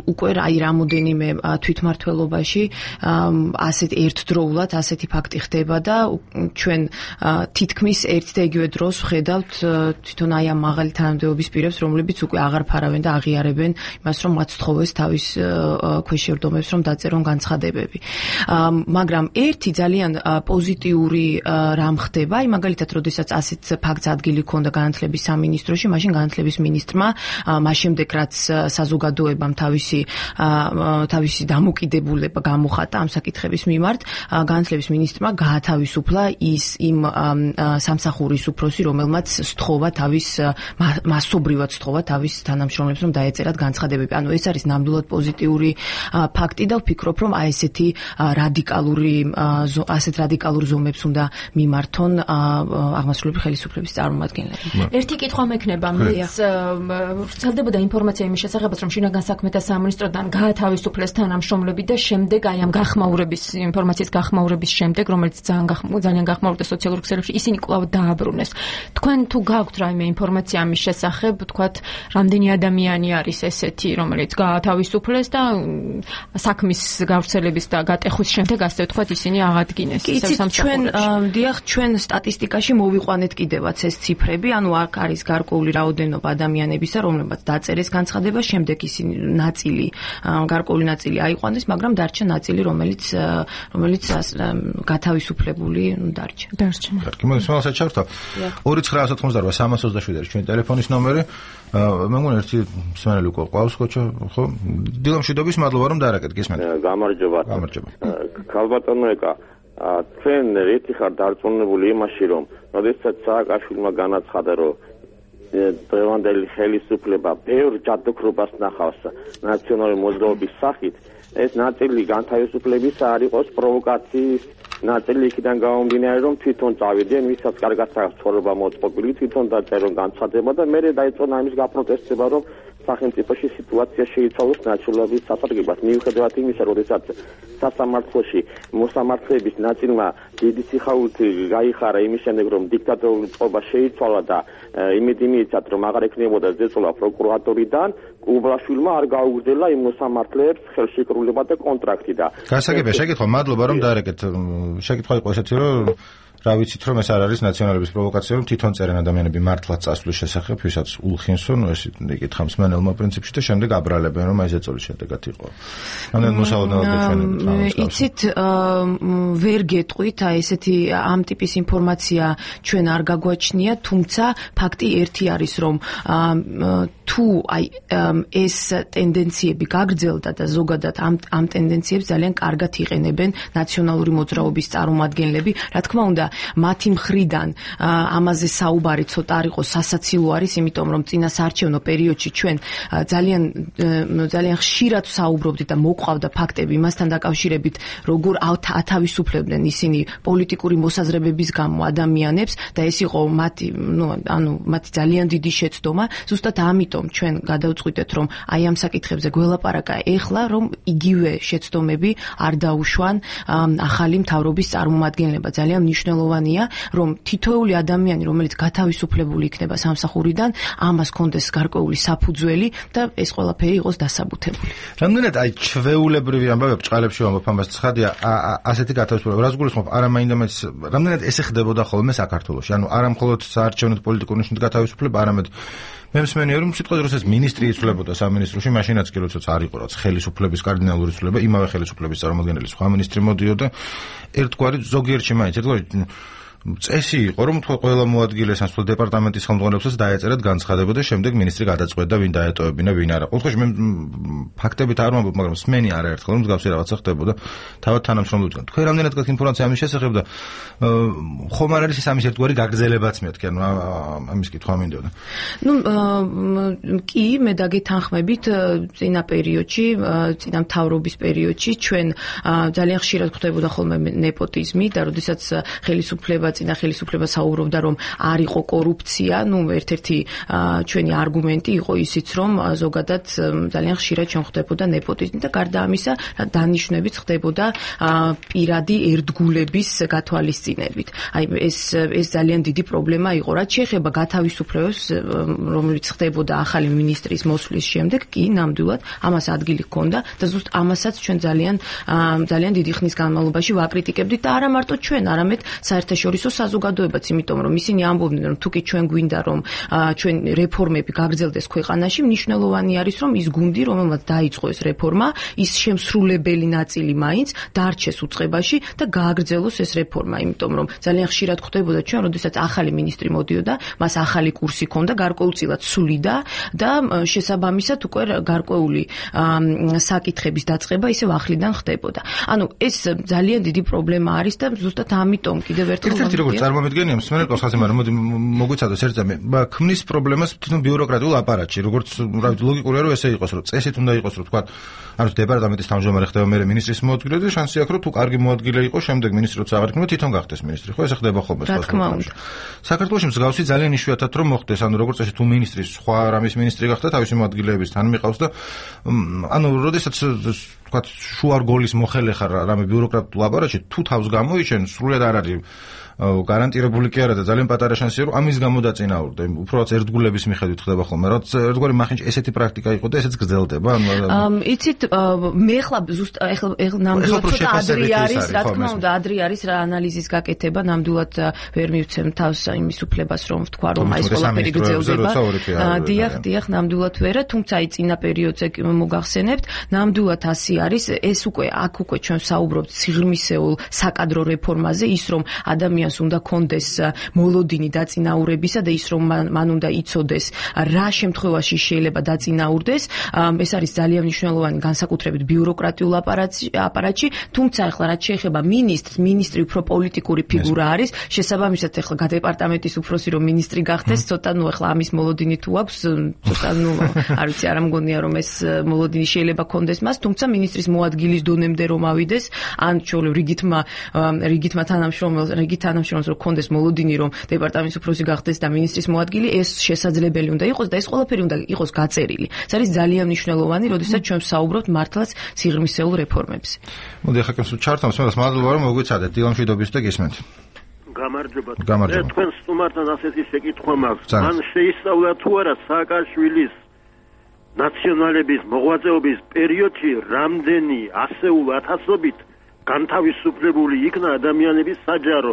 უკვე აი რამოდენიმე თვითმმართველობაში ასეთ ერთდროულად ასეთი ფაქტი ხდება და ჩვენ თითქმის ერთ და იგივე დროს ვხედავთ თვითონ აი ამ მაღალი თანამდებობის პირებს, რომლებიც უკვე აღარ ფარავენ და აღიარებენ იმას, რომ მათ სთხოვეს თავის ქვეშ შერდომებს, რომ დაწერონ განცხადებები. მაგრამ ერთი ძალიან პოზიტიური რამ ხდება, აი მაგალითად, როდესაც ასეთ ფაქტს ადგილი ჰქონდა განათლების სამინისტროში, მაშინ განათლების მინისტრმა მას შემდეგ რაც საზოგადოებამ თავისი თავისი დამოკიდებულება გამოხატა ამ საკითხების მიმართ, განათლების მინისტრმა გაათავისუფლა ის იმ სამსახურის უფროსი, რომელმაც სთხოვა თავის მასობრივად სთხოვა თავის თანამშრომლებს, რომ დაეწერათ განცხადებები. ანუ ეს არის ნამდვილად პოზიტიური ფაქტი და ვფიქრობ, რომ აი ესეთი რადიკალური ასეთ რადიკალურ ზომებს უნდა მიმართონ აღმასრულებელი ხელისუფლების წარმომადგენლები. ერთი კითხვა მექნება, მეც ვრცელდებოდა ინფორმაცია იმის შესახებაც, რომ შინაგან საქმეთა სამინისტროდან გაათავისუფლეს თანამშრომლები და შემდეგ აი ამ გახმაურების ინფორმაციის გახმაურების შემდეგ, რომელიც ძალიან ძალიან გახმაურდა სოციალურ ქსელებში, ისინი კვლავ დააბრუნეს. თქვენ თუ გაქვთ რაიმე ინფორმაცია ამის შესახებ, თქვათ, რამდენი ადამიანი არის ესეთი, რომელიც გაათავისუფლეს და საქმის გავრცელების და გატეხვის შემდეგ, ასე ვთქვათ, ისინი აღადგინეს. ჩვენ დიახ, ჩვენ სტატისტიკაში მოვიყვანეთ კიდევაც ეს ციფრები, ანუ აქ არის გარკვეული რაოდენობა ადამიანებისა, რომლებმაც დაწერეს განცხადება, შემდეგ ისინი ნაწილი, გარკვეული ნაწილი აიყვანეს, მაგრამ დარჩა ნაწილი, რომელიც რომელიც გათავისუფლებული დარჩა. დარჩა. კარგი, მოდი სულ ჩავთვა. ორი ცხრა ათოთხმოცდაოთხ სამას ოცდაშვიდი არის ჩვენი ტელეფონის ნომერი. მე მგონი ერთი მსმენელი უკვე ყავს, ხო? დილა მშვიდობის, მადლობა რომ დაარეკეთ, გისმენთ. გამარჯობა. გამარჯობა. ქალბატონო ეკა, თქვენ რითი ხარ დარწმუნებული იმაში, რომ როდესაც სააკაშვილმა განაცხადა, რომ დღევანდელი ხელისუფლება ბევრ ჯადოქრობას ნახავს ნაციონალური მოძრაობის სახით, ეს ნაწილი განთავისუფლების არ იყოს პროვოკაციის ნაწილი იქიდან გამომდინარე, რომ თვითონ წავიდნენ, ვისაც კარგად აქვს ცხოვრება მოწყობილი, თვითონ დაწერონ განცხადება და მერე დაიწყონ ამის გაპროტესტება, რომ სახელმწიფოში სიტუაცია შეიცვალოს ნაციონალიზმის სასარგებლად. მიუხედავად იმისა, როდესაც სასამართლოში მოსამართლეების ნაწილმა დიდი სიხარულით გაიხარა იმის შემდეგ, რომ დიქტატორული წყობა შეიცვალა და იმედი მიეცათ, რომ აღარ ექნებოდა ზეწოლა პროკურატორიდან, უბლაშვილმა არ გაუგრძელა იმ მოსამართლეებს ხელშეკრულება და კონტრაქტი და გასაგებია, შეკითხვა, მადლობა რომ დაარეკეთ. შეკითხვა იყო ესეთი, რომ რა ვიცით, რომ ეს არ არის ნაციონალების პროვოკაცია, რომ თვითონ წერენ ადამიანები მართლაც წასვლის შესახებ, ვისაც ულხინსო, ნუ ეს იკითხა მსმენელმა პრინციპში და შემდეგ აბრალებენ, რომ აი ზეწოლის შედეგად იყო. ამდენ მოსალოდნელად ჩვენ იცით, ვერ გეტყვით, აი ესეთი ამ ტიპის ინფორმაცია ჩვენ არ გაგვაჩნია, თუმცა ფაქტი ერთი არის, რომ თუ აი ეს ტენდენციები გაგრძელდა და ზოგადად ამ ამ ტენდენციებს ძალიან კარგად იყენებენ ნაციონალური მოძრაობის წარმომადგენლები, რა თქმა უნდა, მათი მხრიდან ამაზე საუბარი ცოტა არ იყოს სასაცილო არის, იმიტომ რომ წინა საარჩევნო პერიოდში ჩვენ ძალიან ძალიან ხშირად საუბრობდით და მოყვავდა ფაქტები იმასთან დაკავშირებით, როგორ ათავისუფლებდნენ ისინი პოლიტიკური მოსაზრებების გამო ადამიანებს და ეს იყო მათი, ნუ ანუ მათი ძალიან დიდი შეცდომა. ზუსტად ამიტომ ჩვენ გადავწყვიტეთ, რომ აი ამ საკითხებზე გველაპარაკა ეხლა, რომ იგივე შეცდომები არ დაუშვან ახალი მთავრობის წარმომადგენლება. ძალიან მნიშვნელოვანია, რომ თითოეული ადამიანი, რომელიც გათავისუფლებული იქნება სამსახურიდან, ამას კონდეს გარკვეული საფუძველი და ეს ყველაფერი იყოს დასაბუთებული. რამდენად აი ჩვეულებრივი ამბავი ბჭყალებში ვამბობ ამას ცხადია, ასეთი გათავისუფლება რას გულისხმობ? არა მაინდამაც რამდენად ესე ხდებოდა ხოლმე საქართველოში? ანუ არა მხოლოდ საარჩევნო პოლიტიკური ნიშნით გათავისუფლება, არამედ მე მსმენია, რომ სიტყვაზე როდესაც მინისტრი იცვლებოდა სამინისტროში, მაშინაც კი როდესაც არ იყო რაც ხელისუფლების კარდინალური ცვლილება, იმავე ხელისუფლების წარმომადგენელი სხვა მინისტრი მოდიოდა, ერთგვარი ზოგიერთში მაინც ერთგვარი წესი იყო, რომ თქვა ყველა მოადგილეს ან სხვა დეპარტამენტის ხელმძღვანელობსაც დაეწერათ განცხადება და შემდეგ მინისტრი გადაწყვეტდა ვინ დაეტოვებინა, ვინ არა. ყოველთვის მე ფაქტებით არ ვამბობ, მაგრამ მსმენი არაერთხელ რომ მსგავსი რაღაცა ხდებოდა თავად თანამშრომლებთან. თქვენ რამდენად გაქვთ ინფორმაცია ამის შესახებ და ხომ არ არის ეს ამის ერთგვარი გაგრძელებაც მეთქი, ანუ ამის კითხვა მინდოდა. ნუ კი, მე დაგეთანხმებით წინა პერიოდში, წინა მთავრობის პერიოდში ჩვენ ძალიან ხშირად ხდებოდა ხოლმე ნეპოტიზმი და როდესაც ხელისუფლება წინა ხელისუფლება საუბრობდა, რომ არ იყო კორუფცია, ну ერთ-ერთი ჩვენი არგუმენტი იყო ისიც, რომ ზოგადად ძალიან ხშირად ჩვენ ხდებოდა ნეპოტიზმი და გარდა ამისა დანიშვნებიც ხდებოდა პირადი ერთგულების გათვალისწინებით. აი ეს ეს ძალიან დიდი პრობლემა იყო, რაც შეეხება გათავისუფლებას, რომელიც ხდებოდა ახალი მინისტრის მოსვლის შემდეგ, კი ნამდვილად ამას ადგილი ჰქონდა და ზუსტ ამასაც ჩვენ ძალიან ძალიან დიდი ხნის განმავლობაში ვაკრიტიკებდით და არა მარტო ჩვენ, არამედ საერთაშორისო საზოგადოებაც, იმიტომ რომ ისინი ამბობდნენ, რომ თუკი ჩვენ გვინდა რომ ჩვენ რეფორმები გაგრძელდეს ქვეყანაში, მნიშვნელოვანი არის რომ ის გუნდი, რომელმაც დაიწყო ეს რეფორმა, ის შემსრულებელი ნაწილი მაინც დარჩეს უწყებაში და გააგრძელოს ეს რეფორმა, იმიტომ რომ ძალიან ხშირად ხდებოდა ჩვენ, როდესაც ახალი მინისტრი მოდიოდა, მას ახალი კურსი ჰქონდა, გარკვეულწილად სულიდა და შესაბამისად უკვე გარკვეული საკითხების დაწყება ისევ ახლიდან ხდებოდა. ანუ ეს ძალიან დიდი პრობლემა არის და ზუსტად ამიტომ კიდევ ერთხელ ერთ-ერთი როგორც წარმომედგენია მსმენელ კოსხაზე, მაგრამ მოდი მოგვიცადოს ერთ წამი. ქმნის პრობლემას თვითონ ბიუროკრატიულ აპარატში, როგორც რა ვიცი, ლოგიკურია რომ ესე იყოს, რომ წესით უნდა იყოს, რომ თქვა, ანუ დეპარტამენტის თავმჯდომარე ხდება მე მინისტრის მოადგილე და შანსი აქვს, რომ თუ კარგი მოადგილე იყო, შემდეგ მინისტრი როცა აღარ იქნება, თვითონ გახდეს მინისტრი. ხო, ესე ხდება ხოლმე სხვა ქვეყანაში. საქართველოში მსგავსი ძალიან იშვიათად რომ მოხდეს, ანუ როგორც წესი თუ მინისტრის სხვა რამის მინისტრი გახდა, თავისი მოადგილეების თან მიყავს და ანუ როდესაც თქვა შუარ გოლის მოხელე ხარ რამე ბიუროკრატიულ აპარატში, თუ თავს გამოიჩენ, სრულიად არ არის გარანტირებული კი არა და ძალიან პატარა შანსია რომ ამის გამო დაწინაურდა. უბრალოდ ერთგულების მიხედვით ხდება ხოლმე. რაც ერთგვარი მახინჯ ესეთი პრაქტიკა იყო და ესეც გრძელდება. ანუ იცით მე ხლა ზუსტ ეხლა ნამდვილად ცოტა ადრე არის, რა თქმა უნდა, ადრე არის რა ანალიზის გაკეთება, ნამდვილად ვერ მივცემ თავს იმის უფლებას რომ ვთქვა რომ აი ეს ყველაფერი გრძელდება. დიახ, დიახ, ნამდვილად ვერა, თუმცა აი წინა პერიოდზე მოგახსენებთ, ნამდვილად ასე არის, ეს უკვე აქ უკვე ჩვენ საუბრობთ სიღრმისეულ საკადრო რეფორმაზე, ის რომ ადამიანი უნდა კონდეს მოლოდინი დაწინაურებისა და ის რომ მან უნდა იცოდეს რა შემთხვევაში შეიძლება დაწინაურდეს. ეს არის ძალიან მნიშვნელოვანი განსაკუთრებით ბიუროკრატიულ აპარატში, თუმცა ახლა რაც შეეხება მინისტრს, მინისტრი უფრო პოლიტიკური ფიგურა არის, შესაბამისად ახლა დეპარტამენტის უფროსი რომ მინისტრი გახდეს, ცოტა ნუ ახლა ამის მოლოდინი თუ აქვს, ცოტა ნუ არ ვიცი, არ ამგონია რომ ეს მოლოდინი შეიძლება კონდეს მას, თუმცა მინისტრის მოადგილის დონემდე რომ ავიდეს, ან ჩვეულებრივ რიგითმა რიგითმა თანამშრომელს, რიგით თანამშრომელს რომ კონდეს მოლოდინი რომ დეპარტამენტის უფროსი გახდეს და მინისტრის მოადგილი, ეს შესაძლებელი უნდა იყოს და ეს ყველაფერი უნდა იყოს გაწერილი. ეს არის ძალიან მნიშვნელოვანი, როდესაც ჩვენ ვსაუბრობთ მართლაც სიღრმისეულ რეფორმებზე. მოდი ახლა კენს ჩართავს, მაგრამ მადლობა რომ მოგვიცადეთ დილამშვიდობის და გისმენთ. გამარჯობა. გამარჯობა. მე თქვენ სტუმართან ასეთი შეკითხვა მაქვს. მან შეისწავლა თუ არა სააკაშვილის ნაციონალების მოღვაწეობის პერიოდში რამდენი ასეულ ათასობით განთავისუფლებული იქნა ადამიანების საჯარო,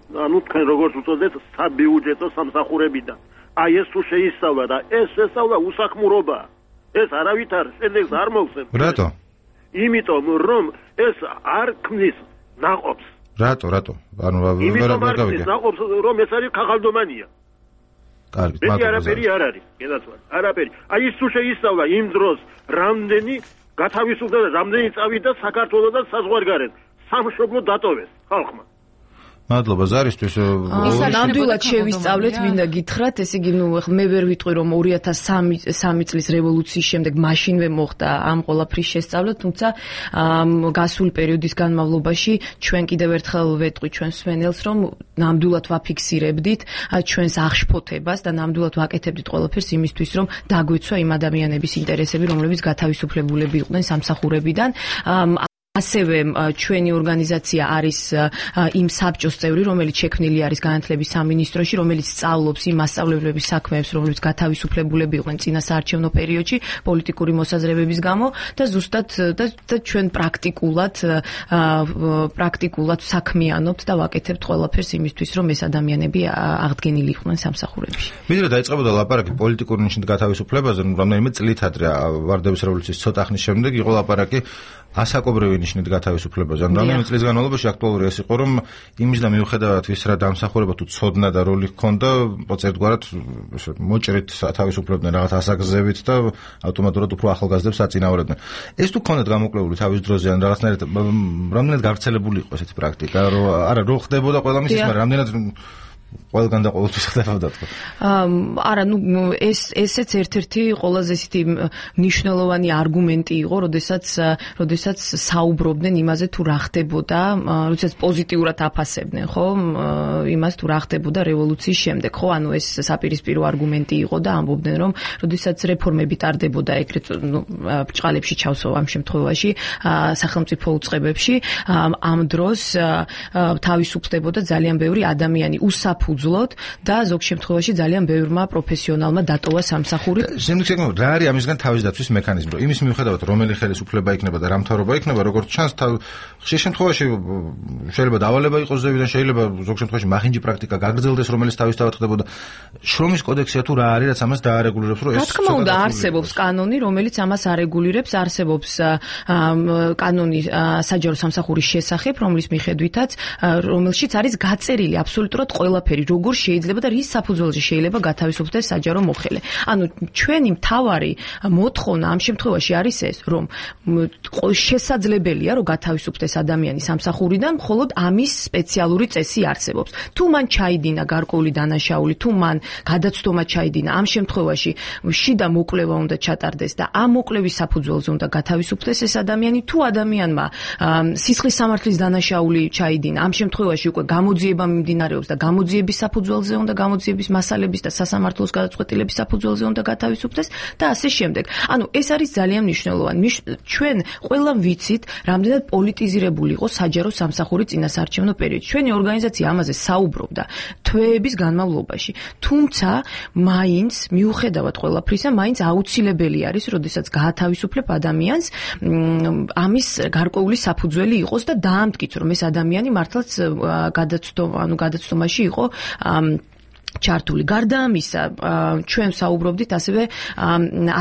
ანუ თქვენ როგორც უწოდეთ, საბიუჯეტო სამსახურებიდან. აი ეს თუ შეისწავლა და ეს შესწავლა უსახმურობა. ეს არავითარ შედეგს არ მოვსებს. რატო? იმიტომ რომ ეს არ ქმნის ნაყოფს. რატო, რატო? ანუ იმიტომ არ ქმნის ნაყოფს, რომ ეს არის ქაღალდომანია. კარგი, მე არაფერი არ არის, გენაცვალე, არაფერი. აი ეს თუ შეისწავლა იმ დროს რამდენი გათავისუფლდა და რამდენი წავიდა საქართველოსთან საზღვარგარეთ, სამშობლო დატოვეს ხალხმა. მადლობა ზარისთვის. ნამდვილად შევისწავლეთ, მინდა გითხრათ, ესე იგი, ნუ მე ვერ ვიტყვი რომ ორი ათას სამი წლის რევოლუციის შემდეგ მაშინვე მოხდა ამ ყველაფრის შესწავლა, თუმცა გასული პერიოდის განმავლობაში ჩვენ კიდევ ერთხელ ვეტყვი ჩვენს მსმენელს, რომ ნამდვილად ვაფიქსირებდით ჩვენს აღშფოთებას და ნამდვილად ვაკეთებდით ყველაფერს იმისთვის, რომ დაგვეცვა იმ ადამიანების ინტერესები, რომლებიც გათავისუფლებულები იყვნენ სამსახურებიდან. ასევე ჩვენი ორგანიზაცია არის იმ საბჭოს წევრი, რომელიც შექმნილი არის განათლების სამინისტროში, რომელიც სწავლობს იმ მასწავლებლების საქმეებს, რომლებიც გათავისუფლებულები იყვნენ წინა საარჩევნო პერიოდში პოლიტიკური მოსაზრებების გამო და ზუსტად და ჩვენ პრაქტიკულად პრაქტიკულად საქმიანობთ და ვაკეთებთ ყველაფერს იმისთვის, რომ ეს ადამიანები აღდგენილი იყვნენ სამსახურებში. ვიდრე დაიწყებოდა ლაპარაკი პოლიტიკური ნიშნით გათავისუფლებაზე, რამდენიმე წლით ადრე ვარდების რევოლუციის ცოტა ხნის შემდეგ იყო ლაპარაკი ასაკობრივი ნიშნით გათავისუფლებაზე. ან რამდენიმე წლის განმავლობაში აქტუალური ეს იყო, რომ იმის და მიუხედავად ვის რა დამსახურება თუ ცოდნა და როლი ჰქონდა, ერთგვარად მოჭრით თავისუფლებდნენ რაღაც ასაკზევით და ავტომატურად უფრო ახალგაზრდებს აწინაურებდნენ. ეს თუ ქონდათ გამოკვლეული თავის დროზე ან რაღაცნაირად რამდენად გავრცელებული იყო ესეთი პრაქტიკა, რომ არა რო ხდებოდა ყველა მისის, მაგრამ რამდენად ყველგან და ყოველთვის ხდებოდა თქო. არა, ნუ ეს ესეც ერთ-ერთი ყველაზე ისეთი მნიშვნელოვანი არგუმენტი იყო, როდესაც როდესაც საუბრობდნენ იმაზე თუ რა ხდებოდა, როდესაც პოზიტიურად აფასებდნენ, ხო, იმას თუ რა ხდებოდა რევოლუციის შემდეგ, ხო, ანუ ეს საპირისპირო არგუმენტი იყო და ამბობდნენ, რომ როდესაც რეფორმები ტარდებოდა ეგრეთ ნუ ბრჭყალებში ჩავსო ამ შემთხვევაში, სახელმწიფო უწყებებში, ამ დროს თავისუფლდებოდა ძალიან ბევრი ადამიანი უსაფუძვლოდ და ზოგ შემთხვევაში ძალიან ბევრმა პროფესიონალმა დატოვა სამსახური. შემდგომ რა არის ამისგან თავის დაცვის მექანიზმი, რომ იმის მიუხედავად რომელი ხელისუფლება იქნება და რა მთავრობა იქნება, როგორც ჩანს, ხშირ შემთხვევაში შეიძლება დავალება იყოს ზევიდან, შეიძლება ზოგ შემთხვევაში მახინჯი პრაქტიკა გაგრძელდეს, რომელიც თავისთავად ხდებოდა. შრომის კოდექსია თუ რა არის, რაც ამას დაარეგულირებს, რომ ეს რა თქმა უნდა არსებობს კანონი, რომელიც ამას არეგულირებს, არსებობს კანონი საჯარო სამსახურის შესახებ, რომლის მიხედვითაც რომელშიც არის გაწერილი აბსოლუტურად ყველაფერი, როგორ შეიძლება და რის საფუძველზე შეიძლება გათავისუფლდეს საჯარო მოხელე. ანუ ჩვენი მთავარი მოთხოვნა ამ შემთხვევაში არის ეს, რომ შესაძლებელია, რომ გათავისუფლდეს ადამიანი სამსახურიდან, მხოლოდ ამის სპეციალური წესი არსებობს. თუ მან ჩაიდინა გარკვეული დანაშაული, თუ მან გადაცდომა ჩაიდინა, ამ შემთხვევაში შიდა მოკვლევა უნდა ჩატარდეს და ამ მოკვლევის საფუძველზე უნდა გათავისუფლდეს ეს ადამიანი, თუ ადამიანმა სისხლის სამართლის დანაშაული ჩაიდინა, ამ შემთხვევაში უკვე გამოძიება მიმდინარეობს და გამოძიების საფუძველზე უნდა გამოძიების მასალების და სასამართლოს გადაწყვეტილების საფუძველზე უნდა გათავისუფლდეს და ასე შემდეგ. ანუ ეს არის ძალიან მნიშვნელოვანი. ჩვენ ყველამ ვიცით, რამდენად პოლიტიზირებული იყო საჯარო სამსახური წინასაარჩევნო პერიოდში. ჩვენი ორგანიზაცია ამაზე საუბრობდა თვეების განმავლობაში. თუმცა მაინც მიუხედავად ყველაფრისა, მაინც აუცილებელი არის, როდესაც გაათავისუფლებ ადამიანს, ამის გარკვეული საფუძველი იყოს და დაამტკიცო, რომ ეს ადამიანი მართლაც გადაცდომა, ანუ გადაცდომაში იყო ჩართული. გარდა ამისა, ჩვენ საუბრობდით ასევე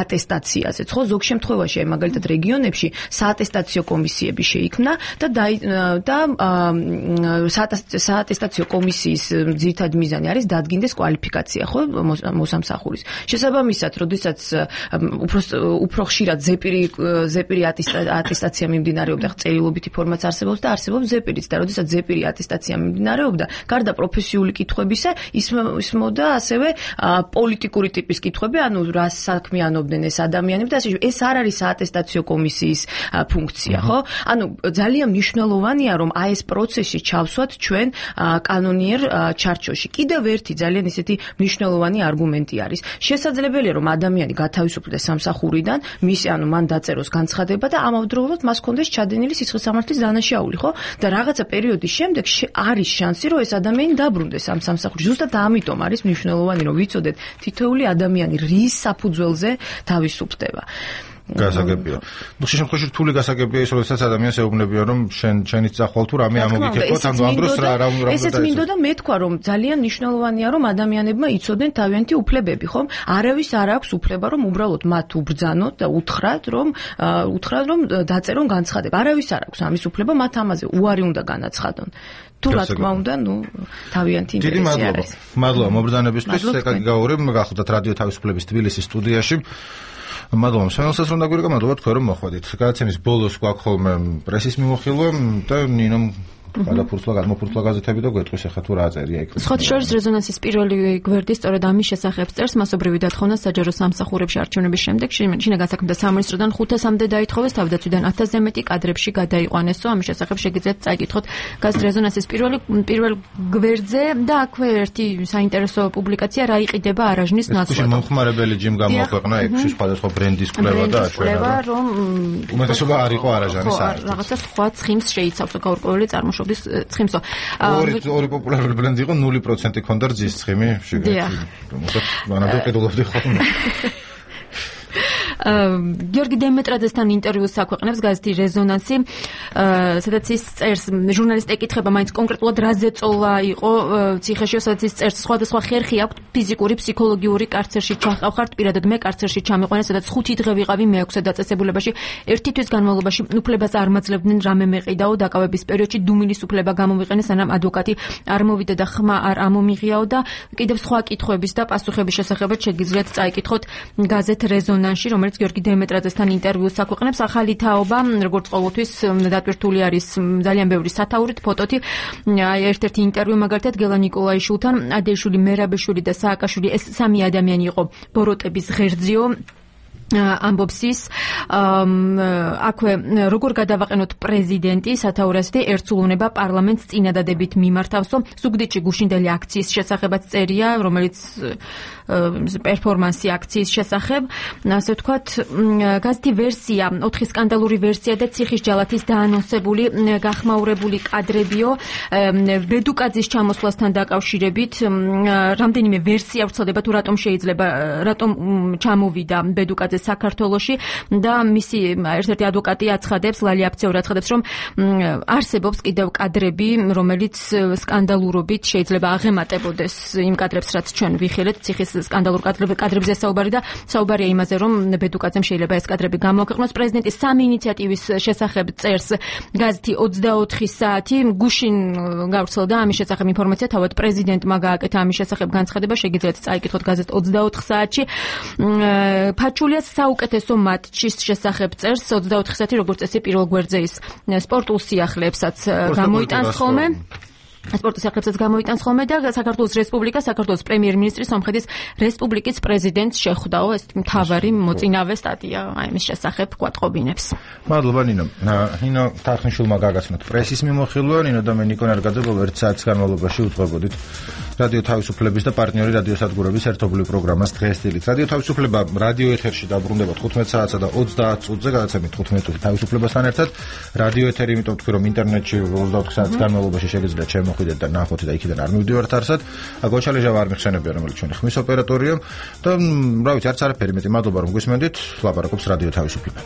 ატესტაციაზე. ხო, ზოგ შემთხვევაში, აი მაგალითად რეგიონებში საატესტაციო კომისიები შეიქმნა და და საატესტაციო კომისიის ძირითადი მიზანი არის დადგინდეს კვალიფიკაცია, ხო, მოსამსახურის. შესაბამისად, როდესაც უფრო უფრო ხშირად ზეპირი ზეპირი ატესტაცია მიმდინარეობდა, წერილობითი ფორმაც არსებობს და არსებობს ზეპირიც და როდესაც ზეპირი ატესტაცია მიმდინარეობდა, გარდა პროფესიული კითხვებისა, ის ისმოდა ასევე პოლიტიკური ტიპის კითხვები, ანუ რა საქმიანობდნენ ეს ადამიანები და ასე ეს არ არის საატესტაციო კომისიის ფუნქცია, ხო? ანუ ძალიან მნიშვნელოვანია, რომ აი ეს პროცესი ჩავსვათ ჩვენ კანონიერ ჩარჩოში. კიდევ ერთი ძალიან ისეთი მნიშვნელოვანი არგუმენტი არის. შესაძლებელია, რომ ადამიანი გათავისუფლდეს სამსახურიდან, მისი ანუ მან დაწეროს განცხადება და ამავდროულად მას ჰქონდეს ჩადენილი სისხლის სამართლის დანაშაული, ხო? და რაღაცა პერიოდის შემდეგ არის შანსი, რომ ეს ადამიანი დაბრუნდეს ამ სამსახურში. ზუსტად ამიტომ არის მნიშვნელოვანი, რომ ვიცოდეთ თითოეული ადამიანი რის საფუძველზე თავისუფლდება. გასაგებია. ნუ შე შემთხვევაში რთული გასაგებია ის, როდესაც ადამიანს ეუბნებიან, რომ შენ შენიც წახვალ თუ რამე ამოგიქეთოთ, ანუ ამ დროს რა რა უნდა ესეც მინდოდა მე თქვა, რომ ძალიან მნიშვნელოვანია, რომ ადამიანებმა იცოდნენ თავიანთი უფლებები, ხომ? არავის არ აქვს უფლება, რომ უბრალოდ მათ უბრძანოთ და უთხრათ, რომ უთხრათ, რომ დაწერონ განცხადება. არავის არ აქვს ამის უფლება, მათ ამაზე უარი უნდა განაცხადონ. თუ რა თქმა უნდა, ნუ თავიანთი ინტერესი არის. მადლობა მობრძანებისთვის, ეკაგი გაური, გახლდათ რადიო თავისუფლების თბილისის სტუდიაში. მადლობა მსმენელსაც რომ დაგვირეკა, მადლობა თქვენ რომ მოხვედით. გადაცემის ბოლოს გვაქვს ხოლმე პრესის მიმოხილვა და ნინომ გადაფურცლა გადმოფურცლა გაზეთები და გვეტყვის ახლა თუ რა წერია იქ. სხვა შორის რეზონანსის პირველი გვერდი სწორედ ამის შესახებ წერს, მასობრივი დათხოვნა საჯარო სამსახურებში არჩევნების შემდეგ შინაგან საქმეთა სამინისტროდან ხუთასამდე დაითხოვეს, თავდაცვიდან ათასზე მეტი კადრებში გადაიყვანესო. ამის შესახებ შეგიძლიათ წაიკითხოთ გაზეთ რეზონანსის პირველი პირველ გვერდზე და აქვე ერთი საინტერესო პუბლიკაცია რა იყიდება არაჟნის ნაცვლად. ეს მომხმარებელი ჯიმ გამოაქვეყნა ექვსი სხვადასხვა ბრენდის კვლევა და აჩვენა რომ უმეტესობა არ იყო არაჟანის არ. რაღაცა სხვა ცხიმს შეიცავს გაურკვეველი წარმოშობა ცხიმსო. ორი ორი პოპულარული ბრენდი იყო ნული პროცენტი ქონდა რძის ცხიმი, შეგეცი. მოკლედ მანამდე ყიდულობდი ხოლმე. გიორგი დემეტრაძესთან ინტერვიუს აქვეყნებს გაზეთი რეზონანსი, სადაც ის წერს, ჟურნალისტი ეკითხება მაინც კონკრეტულად რა ზეწოლა იყო ციხეში, სადაც ის წერს, სხვადასხვა ხერხი აქვს ფიზიკური, ფსიქოლოგიური კარცერში ჩახავხართ, პირადად მე კარცერში ჩამიყვანე, სადაც ხუთი დღე ვიყავი მეექვსე დაწესებულებაში, ერთი თვის განმავლობაში უფლებას არ მაძლევდნენ რამე მეყიდაო, დაკავების პერიოდში დუმილის უფლება გამოვიყენე, სანამ ადვოკატი არ მოვიდა და ხმა არ ამომიღიაო და კიდევ სხვა კითხვების და პასუხების შესახებაც შეგიძლიათ წაიკითხოთ გაზეთ რეზონანსში, რომელიც გიორგი დემეტრაძესთან ინტერვიუს აქვეყნებს. ახალი თაობა, როგორც ყოველთვის, დატვირთული არის ძალიან ბევრი სათაურით, ფოტოთი. აი ერთ-ერთი ინტერვიუ მაგალითად გელა ნიკოლაიშვილთან, ადეიშვილი, მერაბეშვილი და სააკაშვილი, ეს სამი ადამიანი იყო ბოროტების ღერძიო. ამბობს ის აქვე როგორ გადავაყენოთ პრეზიდენტი სათაურასდი ერთსულოვნება პარლამენტს წინადადებით მიმართავსო ზუგდიდში გუშინდელი აქციის შესახებაც წერია რომელიც პერფორმანსი აქციის შესახებ ასე ვთქვათ გაზეთი ვერსია ოთხი სკანდალური ვერსია და ციხის ჯალათის დაანონსებული გახმაურებული კადრებიო ბედუკაძის ჩამოსვლასთან დაკავშირებით რამდენიმე ვერსია ვრცელდება თუ რატომ შეიძლება რატომ ჩამოვიდა ბედუკაძე საქართველოში და მისი ერთ-ერთი ადვოკატი აცხადებს, ლალი აფცეური აცხადებს, რომ არსებობს კიდევ კადრები, რომელიც სკანდალურობით შეიძლება აღემატებოდეს იმ კადრებს, რაც ჩვენ ვიხილეთ, ციხის სკანდალურ კადრებზე საუბარი და საუბარია იმაზე, რომ ბედუკაძემ შეიძლება ეს კადრები გამოაქვეყნოს. პრეზიდენტის სამი ინიციატივის შესახებ წერს გაზეთი ოცდაოთხი საათი, გუშინ გავრცელდა ამის შესახებ ინფორმაცია, თავად პრეზიდენტმა გააკეთა ამის შესახებ განცხადება, შეგიძლიათ წაიკითხოთ გაზეთ ოცდაოთხ საათში. ფაჩულია საუკეთესო მატჩის შესახებ წერს ოცდაოთხი საათი როგორც წესი პირველ გვერდზე ის სპორტულ სიახლეებსაც გამოიტანს ხოლმე სპორტის სიახლეებსაც გამოიტანს ხოლმე და საქართველოს რესპუბლიკა საქართველოს პრემიერ-მინისტრი სომხეთის რესპუბლიკის პრეზიდენტს შეხვდაო ეს მთავარი მოწინავე სტატია აი მის შესახებ გვატყობინებს. მადლობა ნინო. ნინო თარხნიშვილმა გაგაცნოთ პრესის მიმოხილვა ნინო და მე ნიკო ნარგაძე ერთ საათის განმავლობაში უძღვებოდით რადიო თავისუფლების და პარტნიორი რადიო სადგურების ერთობლივ პროგრამას დღესდღეობით. რადიო თავისუფლება რადიო ეთერში დაბრუნდება თხუთმეტ საათსა და ოცდაათ წუთზე გადაცემით თხუთმეტ წუთი თავისუფლებასთან ერთად. რადიო ეთერი იმიტომ თქვი რომ ინტერნეტში ოცდაოთხ საათის განმავლობაში შეგიძლიათ შემოხვიდეთ და ნახოთ და იქიდან არ მივდივართ არსად. გოჩალეჟავა არ მიხსენებია რომელიც ჩვენი ხმის ოპერატორია და რა ვიცი არც არაფერი მეტი მადლობა რომ გვისმენდით. ლაპარაკობს რადიო თავისუფლება.